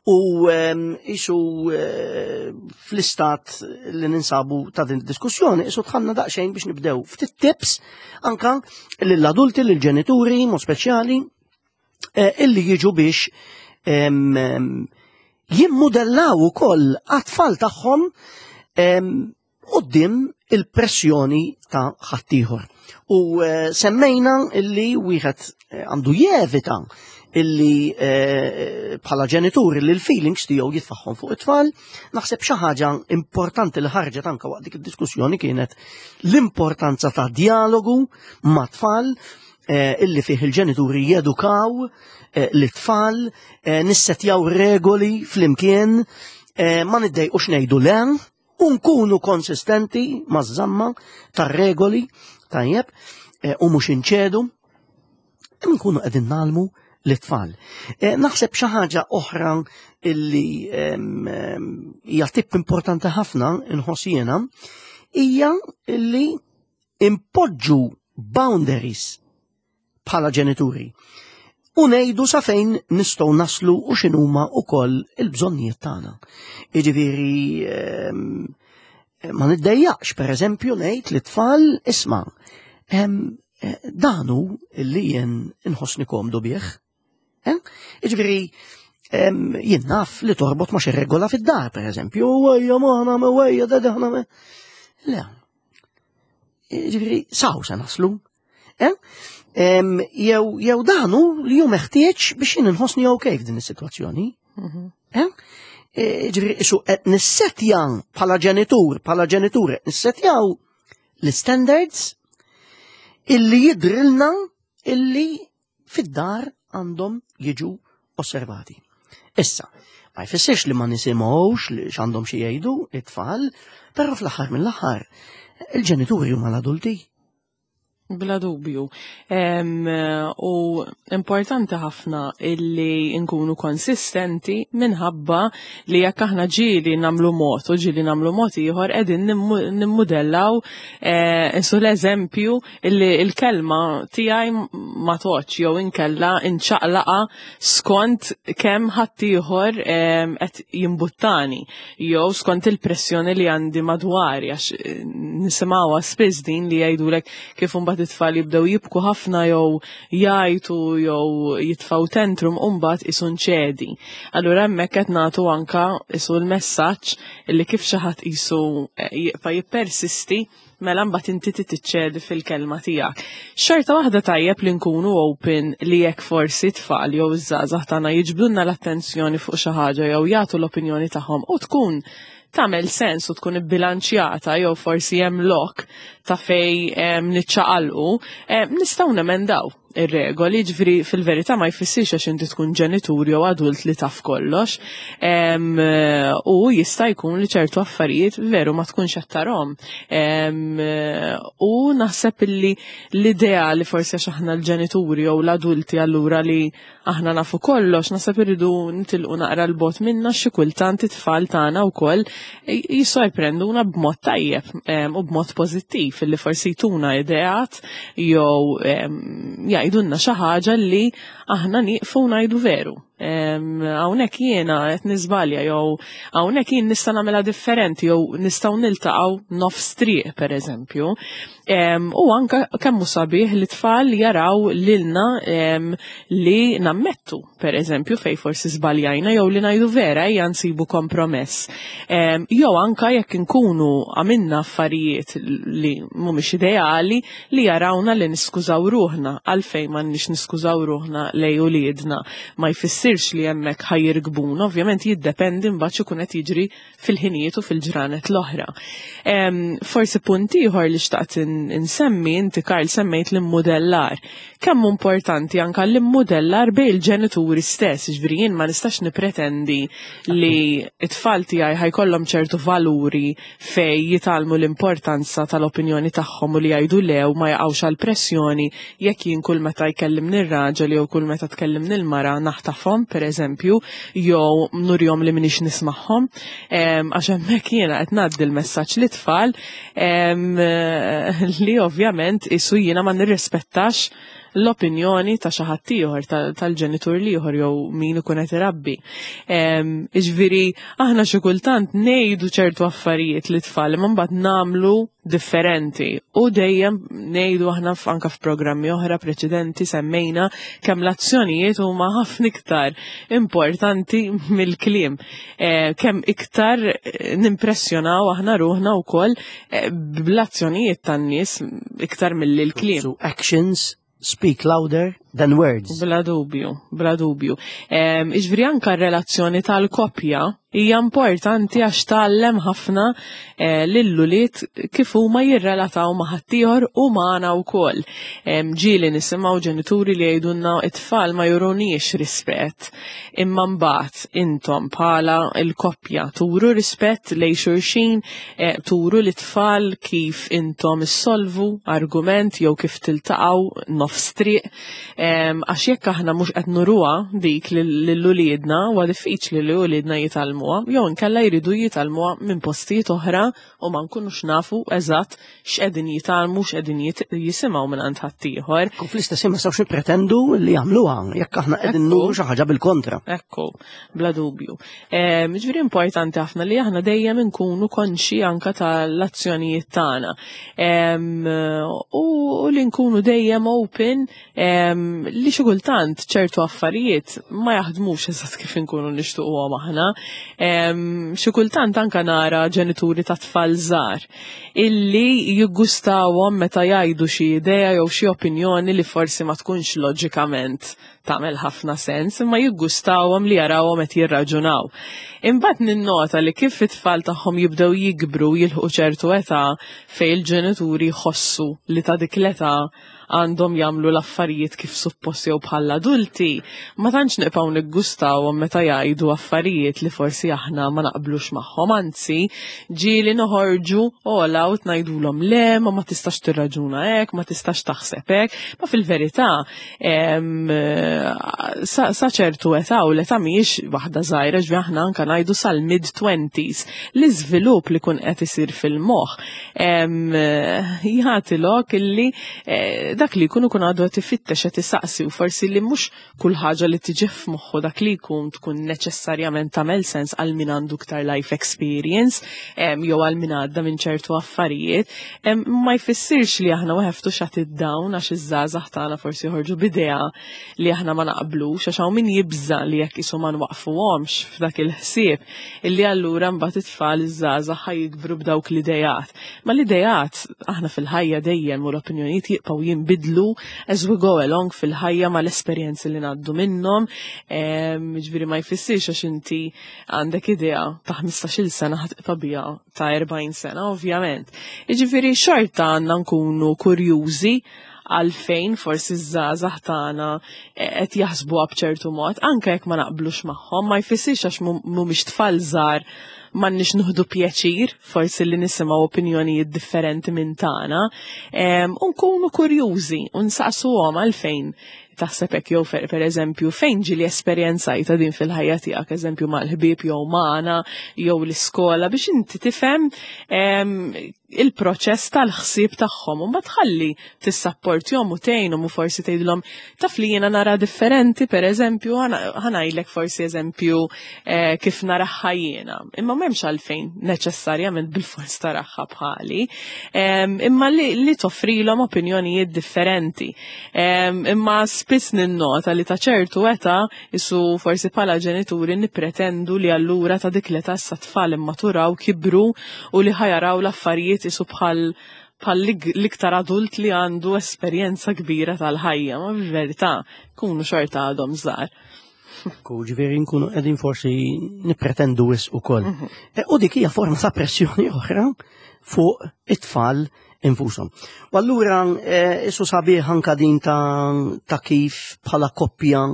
S1: U isu fl-istat li ninsabu ta' din diskussjoni, isu tħanna daqsxejn biex nibdew ftit tips anka lill-adulti, lill-ġenituri, mod speċjali, illi jiġu biex jimmudellaw ukoll għat-tfal tagħhom quddiem il-pressjoni ta' ħaddieħor. U semmejna illi wieħed għandu jevita illi bħala ġenituri li l-feelings tiegħu jitfaħħom fuq it-tfal. Naħseb xi ħaġa importanti li ħarġet anke waqt dik id-diskussjoni kienet l-importanza ta' dialogu ma' tfal illi fih il-ġenituri jedukaw l-tfal, nissetjaw regoli flimkien, ma niddejqux ngħidu le, u nkunu konsistenti maż-żamma tar-regoli, tajjeb, u mhux inċedu, nkunu qegħdin nagħlmu l-tfal. Naħseb xi ħaġa oħra illi hija tip importanti ħafna inħoss jiena hija illi impoġġu boundaries bħala ġenituri u ngħidu sa fejn nistgħu naslu u x'inhuma wkoll il-bżonnijiet tagħna. Jiġifieri ma niddejjaqx pereżempju ngħid lit-tfal isma' danu li jien inħossni komdu bih. Jiġifieri jien naf li torbot ma' xi regola fid-dar, pereżempju, ejja ma aħna ma ejja da aħna ma. Le. Jiġifieri saw se naslu. Jew dan hu li hu meħtieġ biex jien inħossni ok f'din is-sitwazzjoni. Eh? Ġifieri isu qed nissetja bħala ġenitur, bħala ġenitur qed nissetjaw l-standards illi jidrilna illi fid-dar għandhom jiġu osservati. Issa, ma jfissirx li ma nisimgħux li x'għandhom xi jgħidu it-tfal, però fl-aħħar mill-aħħar il-ġenituri huma l-adulti.
S2: Bla dubju. U importanti ħafna illi nkunu konsistenti minħabba li jekk aħna ġieli nagħmlu mod u ġieli nagħmlu mod ieħor qegħdin nimmudellaw insu l-eżempju illi l-kelma tiegħi ma toċ jew inkella inċaqlaqa skont kemm ħaddieħor qed jimbuttani jew skont il-pressjoni li għandi madwari għax nisimgħuha spiss din li jgħidulek kif imbagħad it-tfal jibdew jibku ħafna jew jgħajtu jew jitfgħu tantrum u mbagħad isu nċedi. Allura hemmhekk qed nagħtu anka isu l-messaġġ li kif xi ħadd isu jibqa' jippersisti mela mbagħad inti tiċċedi fil-kelma tiegħek. Xorta waħda tajjeb li nkunu open li jekk forsi tfal jew iż-żgħażagħ tagħna jiġbdulna l-attenzjoni fuq xi ħaġa jew jagħtu l-opinjoni tagħhom u tkun tagħmel sens u tkun ibbilanċjata jew forsi hemm lok ta' fej niċċaqalqu, nistgħu nemendaw ir-regoli, ġifieri fil-verità ma jfissirx għax inti tkun ġenitur jew adult li taf kollox. U jista' jkun li ċertu affarijiet veru ma tkunx qed tarhom. U naħseb illi l-idea li forsi għax aħna l-ġenituri jew l-adulti allura li aħna nafu kollox, naħseb irridu nitilqu naqra l-bot minna xi kultant it-tfal tagħna wkoll jissorprenduna b'mod tajjeb u b'mod pożittiv illi forsi jtuna ideat jew jgħidulna xi ħaġa li aħna nieqfu ngħidu veru. Hawnhekk jiena qed niżbalja jew hawnhekk jien nista' nagħmilha differenti jew nistgħu niltaqgħu nofs triq pereżempju. U anka kemm hu sabiħ li tfal jaraw lilna li nammettu, pereżempju, fej forsi żbaljajna jew li ngħidu vera ejja nsibu kompromess. Jew anka jekk inkunu għamilna affarijiet li mhumiex ideali li jarawna li niskużaw ruħna, għalfejn m'għandniex niskużaw ruħna lej uliedna. Ma jfissirx li hemmhekk ħajirgbuna, ovvjament jiddependi mbagħad x'ikun qed jiġri fil-ħinijiet u fil-ġranet l-oħra. Forsi punt ieħor li xtaqt insemmi, inti Karl semmejt l-immudellar. Kemm importanti anka l-immudellar bejn il-ġenituri stess, ġifieri jien ma nistax nipretendi li it-tfal tiegħi ħajkollhom ċertu valuri fej jitgħallmu l-importanza tal-opinjoni tagħhom u li jgħidu le u ma jaqgħux għal pressjoni jekk jien kull meta jkellimni r-raġel jew kull meta tkellimni l-mara naħtafhom pereżempju jew nurjom li minix nismagħhom. Għax hemmhekk jiena qed ngħaddi l-messaġġ lit-tfal li ovvjament isu jiena ma nirrispettax l-opinjoni ta' xi ħadd ieħor tal-ġenitur l-ieħor jew min ikun qed irabbi. Iġifieri aħna xi kultant ngħidu ċertu affarijiet li tfal imma mbagħad nagħmlu differenti u dejjem ngħidu aħna anka f'programmi oħra preċedenti semmejna kemm l-azzjonijiet huma ħafna iktar importanti mill-kliem. Kemm iktar nimpressjonaw aħna ruħna wkoll bl-azzjonijiet tan-nies iktar mill-kliem.
S1: So actions speak louder than words.
S2: Bla dubju, bla dubju. Iġifieri anka r-relazzjoni tal-koppja hija importanti għax tgħallem ħafna lill-ulied kif huma jirrelataw ma' ħaddieħor u magħna wkoll. Ġieli nisimgħu ġenituri li jgħidulna it-tfal ma juruniex rispett, imma mbagħad intom bħala l-koppja turu rispett lejn xulxin, turu lit-tfal kif intom issolvu argument jew kif tiltaqgħu nofs triq, għax jekk aħna mhux qed nuruha dik lil uliedna huwa diffiċli li uliedna jitgħallmuha jew inkella jridu jitgħallmuha minn postijiet oħra u ma nkunux nafu eżatt x'qegħdin jitgħallmu, x'qegħdin jisimgħu minn għand ħaddieħor.
S1: U fl-istess ħin ma nistgħux nippretendu li jagħmluha jekk aħna qegħdin nuru xi ħaġa bil-kontra.
S2: Ekku, bla dubju. Ġifieri importanti ħafna li aħna dejjem inkunu konxi anka tal-azzjonijiet tagħna. U li nkunu dejjem open. Li xi kultant ċertu affarijiet ma jaħdmux eżatt kif inkunu nixtuquhom aħna. Xi kultant anka nara ġenituri ta' tfal żgħar illi jiggustawhom meta jgħidu xi idea jew xi opinjoni li forsi ma tkunx loġikament tagħmel ħafna sens, imma jiggustawhom li jarawhom qed jirraġunaw. Imbagħad ninnota li kif it-tfal tagħhom jibdew jikbru jilħqu ċertu età fejn il-ġenituri jħossu li ta' dik l-età għandhom jagħmlu l-affarijiet kif suppost jew bħal adulti, ma tantx nibqgħu niggustawhom meta jgħidu affarijiet li forsi aħna ma naqblux magħhom, anzi ġieli noħorġu all out ngħidulhom le, ma ma tistax tirraġuna hekk, ma tistax taħseb hekk, ma fil-verità sa ċertu età u l-età mhijiex waħda żgħira ġvi aħna anka ngħidu sal-mid-20s l-iżvilupp li kun qed isir fil-moħħ jagħti lok illi eh, dak li jkun ikun għadu qed ifittex qed isaqsi u forsi li mhux kull ħaġa li tiġi f'moħħu dak li jkun tkun neċessarjament tagħmel sens għal min għandu iktar life experience jew għal min għadda minn ċertu affarijiet, ma jfissirx li aħna we have to shut it down għax iż-żgħażagħ tagħna forsi joħorġu b'idea li aħna ma naqblux għax hawn min jibża li jekk isu ma nwaqfuhomx f'dak il-ħsieb illi allura mbagħad it-tfal iż-żgħażagħ ħa jikbru b'dawk l-idejat. Ma l-idejat aħna fil-ħajja dejjem u l-opinjonijiet jibqgħu jinbidlu as we go along fil-ħajja mal-esperjenzi li ngħaddu minnhom. Ġifieri ma jfissirx għax inti għandek idea ta' 15-il sena ħa tibqa' biha ta' 40 sena, ovvjament. Jiġifieri xorta għandna nkunu kurjużi għalfejn forsi ż-żgħażagħ tagħna qed jaħsbuha b'ċertu mod, anke jekk ma naqblux magħhom, ma jfissirx għax mhumiex tfal żgħar m'għandniex nieħdu pjaċir forsi li nisimgħu opinjonijiet differenti minn tagħna, u nkunu kurjużi u nsaqsuhom għalfejn taħseb hekk jew per eżempju fejn ġieli esperjenzajta din fil-ħajja tiegħek, eżempju mal-ħbieb jew magħna jew l-iskola biex inti tifhem il-proċess tal-ħsieb tagħhom u mbagħad tħalli tissapportjhom u tgħinhom u forsi tgħidilhom taf li jiena nara differenti pereżempju ħa ngħidlek forsi eżempju eh, kif naraħħa jiena. Imma m'hemmx għalfejn neċessarjament bil-fors taraħħa bħali. Imma li, li toffrilhom opinjonijiet differenti. Imma spiss ninnota li ta' ċertu età isu forsi bħala ġenituri nippretendu li allura ta' dik l-età issa tfal immaturaw kibru u li ħajaraw l-affarijiet isu bħal bħal l-iktar adult li għandu esperjenza kbira tal-ħajja, ma fil-verità kunu xorta għadhom żgħar.
S1: Ku ġifieri nkunu qegħdin forsi nippretendu wisq ukoll. Mhm. E, u dik hija forma ta' pressjoni oħra fuq it-tfal infushom. U allura e, isu sabiħ anka din ta', ta kif bħala koppja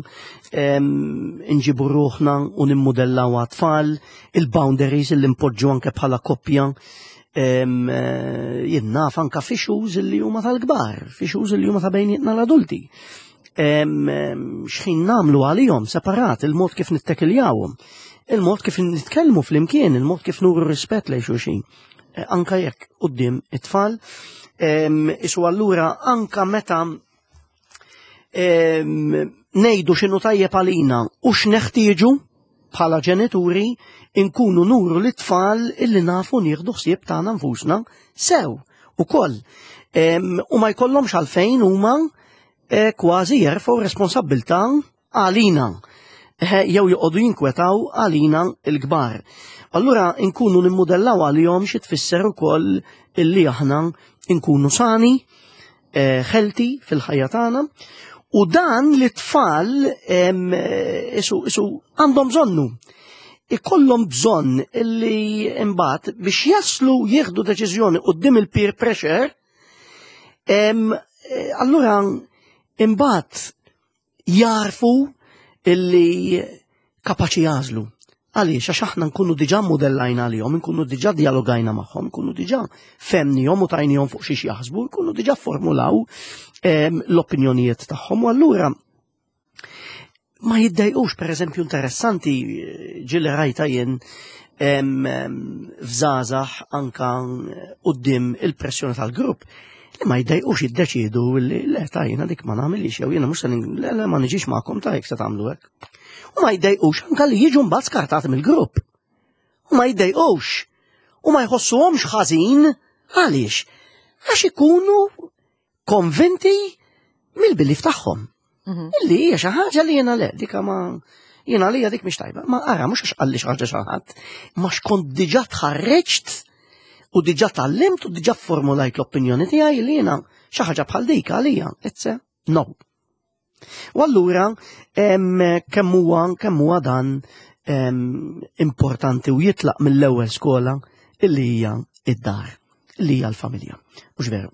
S1: nġibu ruħna u nimmudellaw għat-tfal, il-boundaries li npoġġu anke bħala koppja e, jien naf anka fixuż li huma tal-kbar, fixuż li huma ta' bejnietna l-adulti xħin namlu għalihom separat il-mod kif nittekiljawhom, il-mod kif nitkellmu flimkien, il-mod kif nuru rispett lejn xulxin. E, anka jekk quddiem it-tfal, isu allura anka meta ngħidu x'inhu tajjeb għalina u x'neħtieġu bħala ġenituri inkunu nuru lit-tfal illi nafu nieħdu ħsieb tagħna nfusna sew ukoll. U ma jkollhomx għalfejn huma eh, kważi jerfgħu responsabbiltà għalina eh, jew joqogħdu jinkwetaw għalina l-kbar. Allura nkunu nimmudellaw għalihom xi tfisser ukoll illi aħna nkunu sani, eh, healthy fil-ħajja tagħna u dan li tfal isu, isu għandhom bżonnu. Ikollhom bżonn illi imbagħad biex jaslu jieħdu deċiżjoni quddiem il-peer pressure, eh, allura imbagħad jarfu illi kapaċi jażlu. Għaliex, għax aħna nkunu diġà modellajna għalihom, nkunu diġà dialogajna magħhom, nkunu diġà femnihom u tajnihom fuq xiex jaħsbu, nkunu diġà formulaw ehm, l-opinjonijiet tagħhom u allura ma jiddejqux, per eżempju, interessanti ġili rajta jien ehm, f'żgħażagħ anka quddiem il-pressjoni tal-grupp li ma jiddejqux jiddeċiedu li le ta' jiena dik ma nagħmilix jew jiena mhux se le, le ma niġix magħkom ta' jekk se tagħmlu hekk. U ma jiddejqux anka li jiġu mbagħad skartati mill-grupp. U ma jiddejqux. U ma jħossuhomx ħażin għaliex? Għax ikunu konvinti mill-belief tagħhom. Illi hija xi ħaġa li jiena le, dika ma jiena li dik mhix tajba. Ma ara mhux għax qalli xi ħaġa xi ħadd, ma xkont diġà tħarreġt u diġà tgħallimt u diġà formulajt l-opinjoni tiegħi li jiena xi ħaġa bħal dik għalija, it's a no. U allura kemm huwa kemm huwa dan importanti u jitlaq mill-ewwel skola illi hija id-dar, li hija l-familja. Mhux veru.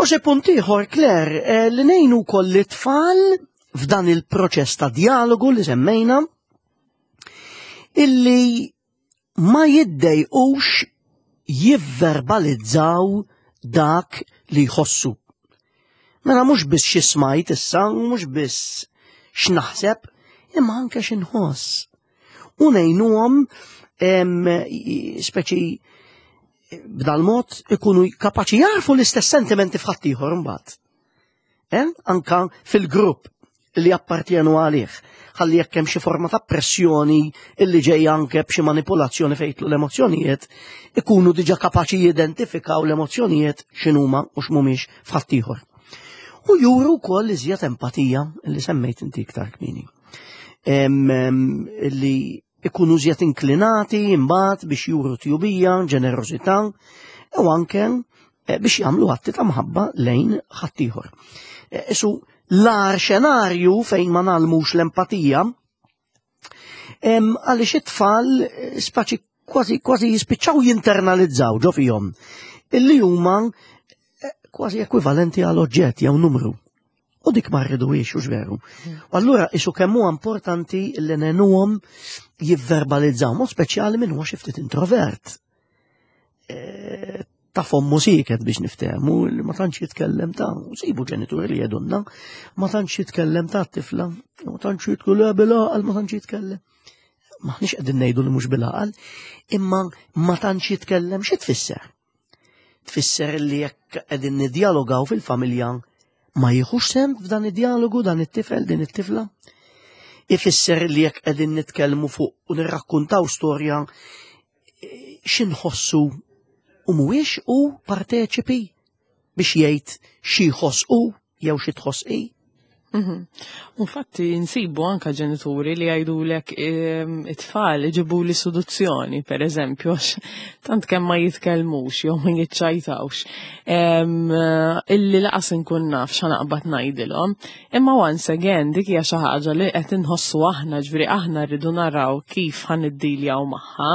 S1: U xi punt ieħor, Claire, eh, li ngħinu wkoll it-tfal f'dan il-proċess ta' dialogu li semmejna illi ma jiddejqux jivverbalizzaw dak li jħossu. Mela mhux biss xi smajt issa, mhux biss x'naħseb, imma anke x'inħoss. U ngħinuhom speċi b'dal-mod ikunu kapaċi jarfu l-istess sentimenti f'ħaddieħor imbagħad. Eh? Anka fil-grupp li jappartjenu għalih. Ħalli jekk hemm xi forma ta' pressjoni illi ġejja anke b'xi manipolazzjoni fejn l-emozzjonijiet, ikunu diġà kapaċi jidentifikaw l-emozzjonijiet x'inhuma u x'mhumiex f'ħaddieħor. U juru wkoll iżjed empatija li semmejt inti iktar kmieni. Li ikunu iżjed inklinati imbagħad biex juru tjubija, ġenerożità u anke eh, biex jagħmlu atti ta' mħabba lejn ħaddieħor. Eh, isu l-ar xenarju fejn ma nagħlmux l-empatija għaliex it-tfal eh, spaċi kważi kważi jispiċċaw jinternalizzaw ġo fihom illi huma kważi ekwivalenti għal oġġett jew numru. U dik ma rriduhiex, hux veru. U allura isu kemm huwa importanti li nenuhom jivverbalizzaw, mod speċjali minn huwa xi ftit introvert. E, ta' fommu siket biex niftehmu li ma tantx jitkellem ta' sibu ġenituri li jedunna, ma tantx jitkellem ta' tifla, ma tantx jitkellem bil-għaqal, ma tantx jitkellem. Maħniex qegħdin ngħidu li mhux bil-għaqal, imma ma tantx jitkellem xi tfisser? Tfisser li jekk qegħdin nidjalogaw fil-familja ma jieħux sem f'dan id-dialogu dan it-tifel din it-tifla. Ifisser li jekk qegħdin nitkellmu fuq u nirrakkuntaw storja eh, x'inħossu u mhuwiex u parteċipi biex jgħid xi jħoss hu jew xi tħoss hi.
S2: Mhm. Infatti nsibu anka ġenituri li jgħidulek ehm, it-tfal iġibu li seduzzjoni, per eżempju, għax tant kemm ma jitkellmux jew ma jiċċajtawx. Ehm, illi laqas inkun naf x'naqbad ngħidilhom. Imma once again dik hija xi ħaġa li qed inħossu aħna, ġifieri aħna rridu naraw kif ħan niddiljaw magħha.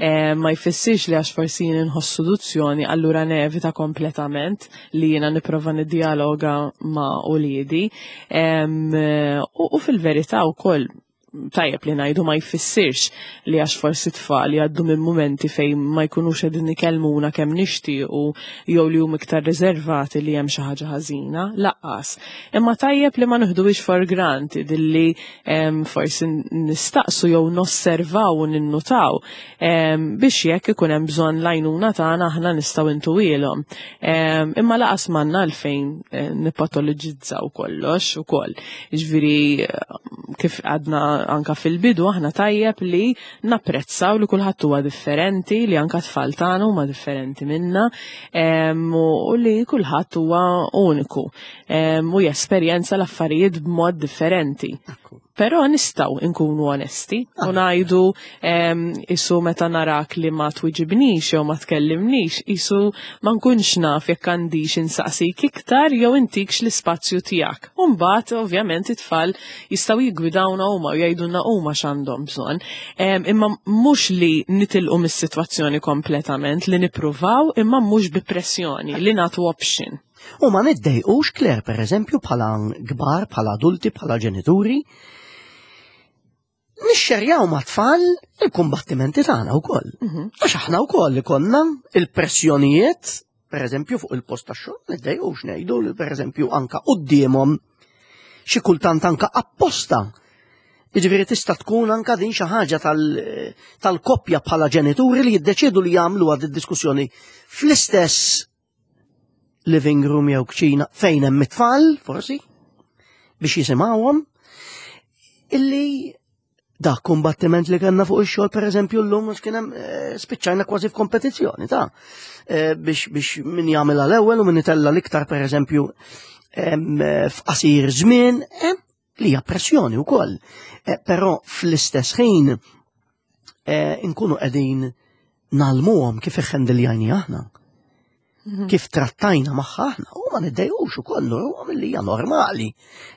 S2: Ehm, ma jfissirx li għax forsi jien inħoss seduzzjoni allura nevita kompletament li jiena nipprova niddialoga ma' uliedi. U fil-verità wkoll tajjeb li ngħidu ma jfissirx li għax forsi tfal jgħaddu minn mumenti fejn ma jkunux qegħdin ikellmuna kemm nixtiequ jew li huma iktar riservati li hemm xi ħaġa ħażina, laqqas. Imma tajjeb li ma nieħduhiex for granted illi forsi nistaqsu jew nosservaw u ninnutaw biex jekk ikun hemm bżonn l-għajnuna tagħna aħna nistgħu intuwielhom. Imma laqas m'għandna għalfejn eh, nipatoloġizzaw kollox ukoll. Jiġifieri eh, kif għadna anka fil-bidu aħna tajjeb li napprezzaw li kulħadd huwa differenti, li anka tfal tagħna huma differenti minna u li kulħadd huwa uniku u jesperjenza l-affarijiet b'mod differenti. Però nistgħu nkunu onesti u ah. ngħidu isu meta narak li ma twiġibnix jew ma tkellimnix, isu ma nkunx naf jekk għandix insaqsik iktar jew intikx l-ispazju tiegħek. U mbagħad ovvjament it-tfal jistgħu jiggwidawna huma u jgħidulna huma x'għandhom bżonn. Imma mhux li nitilqu mis-sitwazzjoni kompletament, li nippruvaw imma mhux bi pressjoni, li nagħtu option.
S1: U ma niddejqux, Claire, per eżempju, bħala kbar, bħala adulti, bħala ġenituri, nixxerjaw ma' tfal il-kumbattimenti tagħna wkoll. Mhm. Għax aħna wkoll ikollna il-pressjonijiet, per eżempju, fuq il-post tax-xogħol, niddejqux ngħidu li per eżempju anka quddiemhom xi kultant anka apposta. Jiġifieri tista' tkun anka din xi ħaġa tal-koppja bħala ġenituri li jiddeċiedu li jagħmlu għad id-diskussjoni fl-istess living room jew kċina fejn hemm it-tfal, forsi, biex jisimgħuhom, illi dak kumbattiment li kellna fuq ix-xogħol pereżempju llum mhux kien hemm eh, spiċċajna kważi f'kompetizzjoni ta' eh, biex biex min jagħmilha l-ewwel u min itella l-iktar pereżempju f'qasir żmien, li hija pressjoni wkoll. Eh, però fl-istess ħin eh, inkunu qegħdin nalmuhom kif iħendiljajni aħna. Mhm. Kif trattajna magħha aħna, u ma niddejqux ukoll nurhom li hija normali.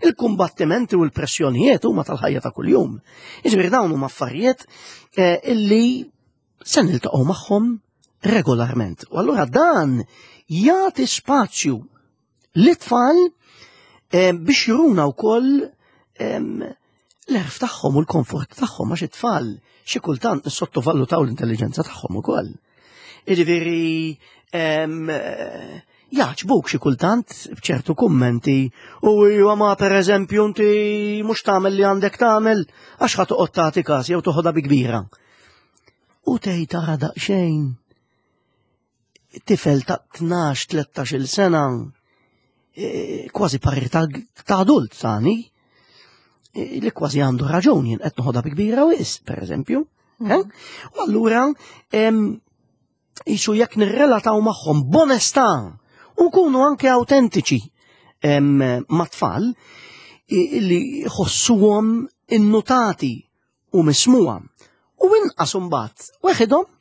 S1: Il-kumbattimenti u l-pressjonijiet huma tal-ħajja ta' kuljum. Jiġifieri dawn huma affarijiet eh, illi se niltaqgħu magħhom regolarment. U allura dan jagħti spazju L-itfal eh, biex juruna wkoll l-erf tagħhom u l-komfort tagħhom għax it-tfal xi kultant nissottovalutaw l-intelligenza tagħhom ukoll. Jiġifieri eh, jaġbuk xi kultant b'ċertu kummenti u iwa ma pereżempju inti mhux tagħmel li għandek tagħmel għax ħa toqgħod tagħti każ jew toħodha bi kbira. U tgħid tara daqsxejn tifel ta' 12-13 sena e, kważi parir ta' adult tani e, li kważi għandu raġun jien qed noħodha bi kbira wis, per eżempju. Mm. Eh? U allura jisu jekk nirrelataw magħhom b'onestà u nkunu anke autentiċi mat-tfal li jħossuhom innutati u mismugħa u inqas imbagħad weħidhom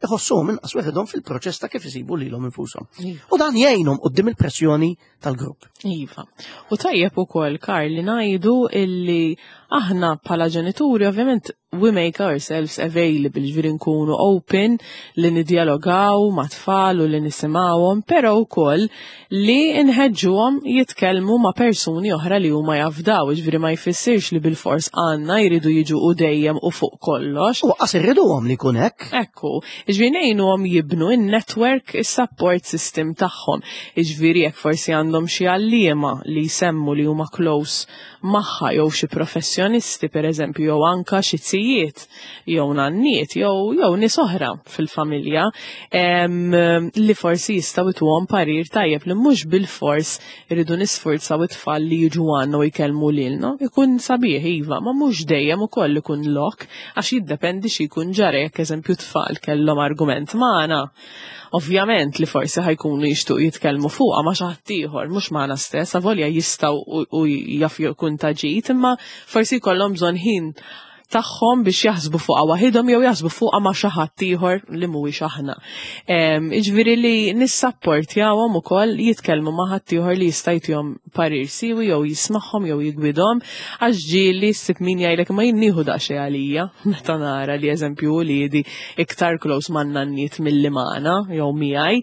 S1: iħossuhom inqas weħidhom fil-proċess ta' kif isibu lilhom infushom. Iva. U dan jgħinhom qudiem il-pressjoni tal-grupp.
S2: Iva. U tajjeb ukoll Karl li ngħidu illi aħna bħala ġenituri ovvjament we make ourselves available, ġifieri nkunu open li nidjalogaw ma' tfal u li nisimgħuhom, però wkoll li nħeġġuhom jitkellmu ma' persuni oħra li huma jafdaw, jiġifieri ma jfissirx li bilfors għandna jridu jiġu u dejjem u fuq kollox.
S1: U qas irriduhom li jkun hekk.
S2: Ekku, jiġifieri ngħinuhom jibnu n-network, is-support system tagħhom. Jiġifieri jekk forsi għandhom xi għalliema li jsemmu li huma close magħha jew xi professjonisti pereżempju jew anka xi zijiet jew nanniet jew jew nies oħra fil-familja li forsi jistgħu jtuhom parir tajjeb li mhux bilfors iridu nisfurzaw it-tfal li jiġu għandna u jkellmu lilna. Ikun sabiħ iva, ma mhux dejjem ukoll ikun lok għax jiddependi xi jkun ġara jekk eżempju tfal kellhom argument magħna. Ovvjament li forsi ħajkunu jixtuq jitkellmu fuqha ma' xi ħadd ieħor, mhux magħna stess, avolja jistgħu u jaf jkun ta' ġid, imma forsi jkollhom bżonn ħin tagħhom biex jaħsbu fuqha waħidhom jew jaħsbu fuqha ma' xi ħadd ieħor li mhuwiex aħna. Jiġifieri li nissapportjawhom ukoll jitkellmu ma' ħadd ieħor li jista' jtihom parir siwi jew jismagħhom jew jigwidhom għax ġieli ssib min jgħidlek ma jien nieħu daqsxejn għalija meta nara li eżempju uliedi iktar close man-nanniet milli magħna jew miegħi.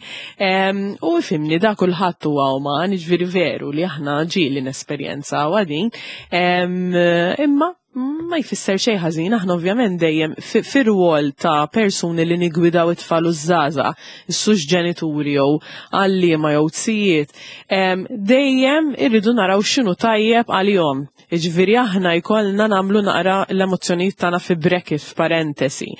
S2: U ifhimni da kulħadd huwa uman, jiġifieri veru li aħna ġieli nesperjenzawha din. Imma ma jfisser xejn ħażin, aħna ovvjament dejjem fir-rwol ta' persuni li nigwidaw it-tfal u żgħażagħ, is-sux ġenituri jew għalliema jew tzijiet, dejjem irridu naraw x'inhu tajjeb għalihom. Jiġifieri aħna jkollna nagħmlu naqra l-emozzjonijiet tagħna fi bracket, f'parentesi.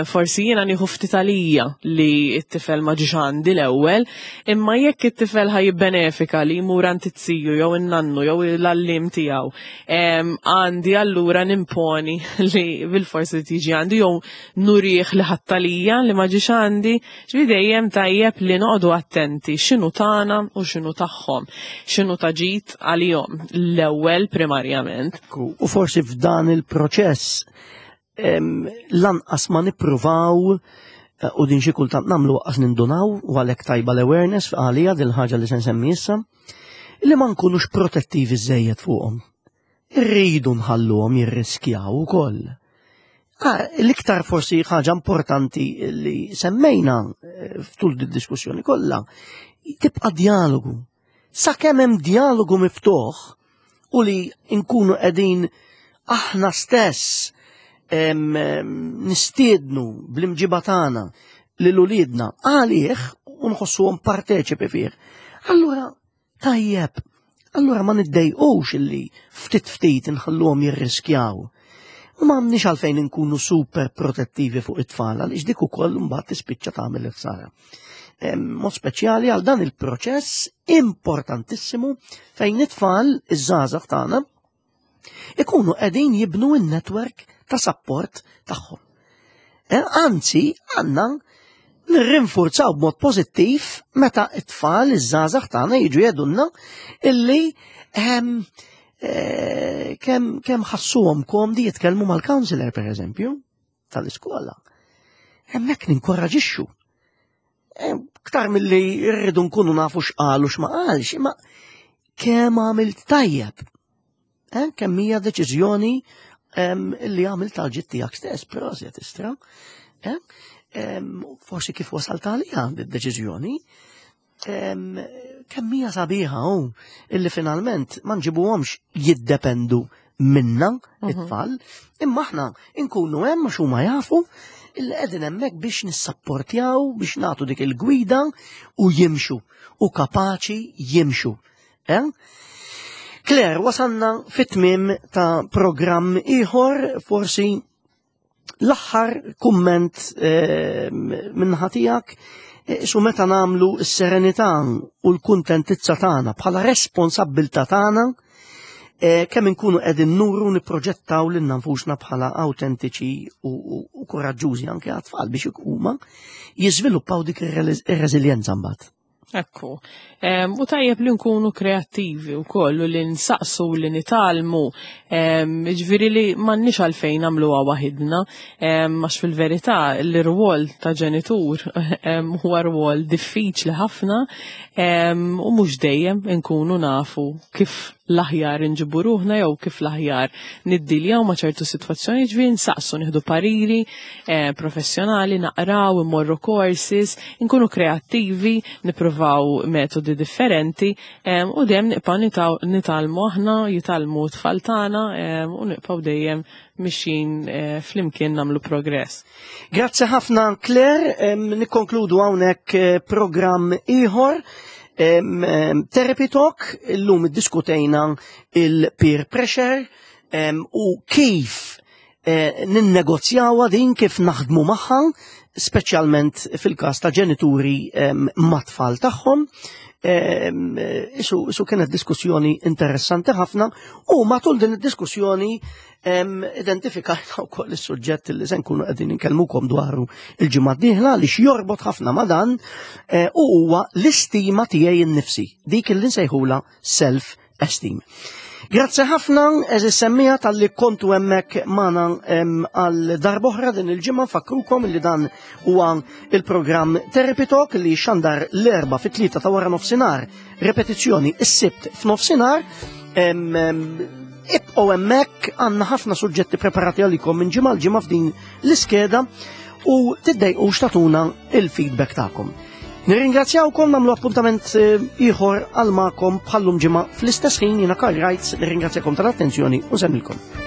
S2: Forsi jiena nieħu ftit għalija li t-tifel ma ġiex għandi l-ewwel, imma jekk it-tifel ħa jibbenefika li jmur għand it-tiju jew in-nannu jew l-għalliem tiegħu, għandi allura nimponi li bilfors li tiġi għandi jew nurih li ħadd għalija li ma ġiex għandi, ġifieri dejjem tajjeb li noqogħdu attenti x'inhu tagħna u x'inhu tagħhom, x'inhu ta' ġid għalihom l-ewwel primarjament.
S1: U forsi f'dan il-proċess lanqas ma nippruvaw eh, u din xi kultant nagħmlu waqqas nindunaw u għalhekk tajba l-awareness għalija din ħaġa li se nsemmi issa, li ma nkunux protettivi żejjed fuqhom. Irridu nħalluhom jirriskjaw ukoll. Ah, l-iktar forsi ħaġa importanti li semmejna eh, ftul diskussjoni kollha tibqa' dialogu. Sakemm hemm dialogu miftuħ u li nkunu qegħdin aħna stess nistiednu bl-imġiba tagħna lil uliedna għalih u nħossuhom parteċipi fih. Allura tajjeb, allura ma niddejqux illi ftit ftit inħalluhom jirriskjaw. U ma għandniex għalfejn inkunu super protettivi fuq it-tfal għaliex dik ukoll mbagħad tispiċċa tagħmel il-ħsara. Mod speċjali għal dan il-proċess importantissimu fejn it-tfal iż-żgħażagħ tagħna ikunu qegħdin jibnu n-network ta' support tagħhom. Eh, anzi, għandna Nirrinfurzaw b'mod pożittiv meta t-tfal iż-żgħażagħ tagħna jiġu jgħidulna illi ehm, eh, kemm kemm ħassuhom komdi jitkellmu mal-counselor pereżempju tal-iskola. Hemmhekk ninkoraġixxu. Ktar milli rridu nkunu nafu x'qal u x'ma qalx, imma kemm għamilt tajjeb. Eh, kemm hija deċiżjoni li għamilt tal-ġid tiegħek stess, proset istra. Eh, forsi kif wasalt għaliha d-deċiżjoni. Kemm hija sabiħa hu illi finalment ma nġibuhomx jiddependu minna it-tfal, imma aħna nkunu hemm għax huma jafu illi qegħdin hemmhekk biex nissapportjaw, biex nagħtu dik il-gwida u jimxu u kapaċi jimxu. Eh? Claire, wasalna fit-tmiem ta' programm ieħor, forsi l-aħħar kumment eh, minnaħa tiegħek eh, su meta nagħmlu s-serenità u l-kuntentizza tagħna bħala responsabbiltà tagħna eh, kemm inkunu qegħdin nuru nipproġettaw lil nfusna bħala awtentiċi u koraġġużi anke għat-tfal biex huma jiżviluppaw dik ir-reżiljenza mbagħad.
S2: Ekku. U tajjeb li nkunu kreattivi u koll u li nsaqsu li nitalmu. Ġviri li mannix għalfejn għamluha waħidna, għax fil-verità l-rwol ta' ġenitur huwa rwol diffiċli ħafna u mhux dejjem nkunu nafu kif l-aħjar inġibu ruħna jew kif l-aħjar niddiljaw ma' ċertu sitwazzjoni, ġifieri nsaqsu nieħdu pariri eh, professjonali, naqraw, immorru courses, inkunu kreattivi, nippruvaw metodi differenti eh, u dejjem nibqgħu nitgħallmu aħna, jitgħallmu t-tfal tagħna eh, u nibqgħu dejjem mixjin flimkien nagħmlu progress.
S1: Grazzi ħafna Claire, nikkonkludu hawnhekk programm ieħor. Therapy Talk, illum iddiskutejna il-peer pressure u kif eh, ninnegozjawha din kif naħdmu magħha, speċjalment fil-każ ta' ġenituri mat-tfal tagħhom. Isu kienet diskussjoni interessanti ħafna u matul din id-diskussjoni Identifikajna wkoll is-suġġett li se nkunu qegħdin inkellmukom dwaru il-ġimgħa d-dieħla li jorbot ħafna ma' dan eh, u huwa l-istima tiegħi nnifsi, dik li nsejħula self esteem. Grazzi ħafna, eżis semmija tal-li kontu emmek mana għal darboħra din il-ġimma fakrukom li dan huwa il-programm Therapy Talk li xandar l-erba fit-tlieta ta' wara nofsinhar, repetizzjoni is-sibt f'nofsinhar. Ibqgħu hemmhekk għandna ħafna suġġetti preparati għalikom minn ġimgħa l-ġimgħa f'din l-iskeda u tiddejqux tagħtuna il-feedback tagħkom. Nirringrazzjawkom nagħmlu appuntament eh, ieħor għal magħkom bħallum ġimgħa fl-istess ħin jiena Karl Reitz nirringrazzjakom tal-attenzjoni u semmilkom.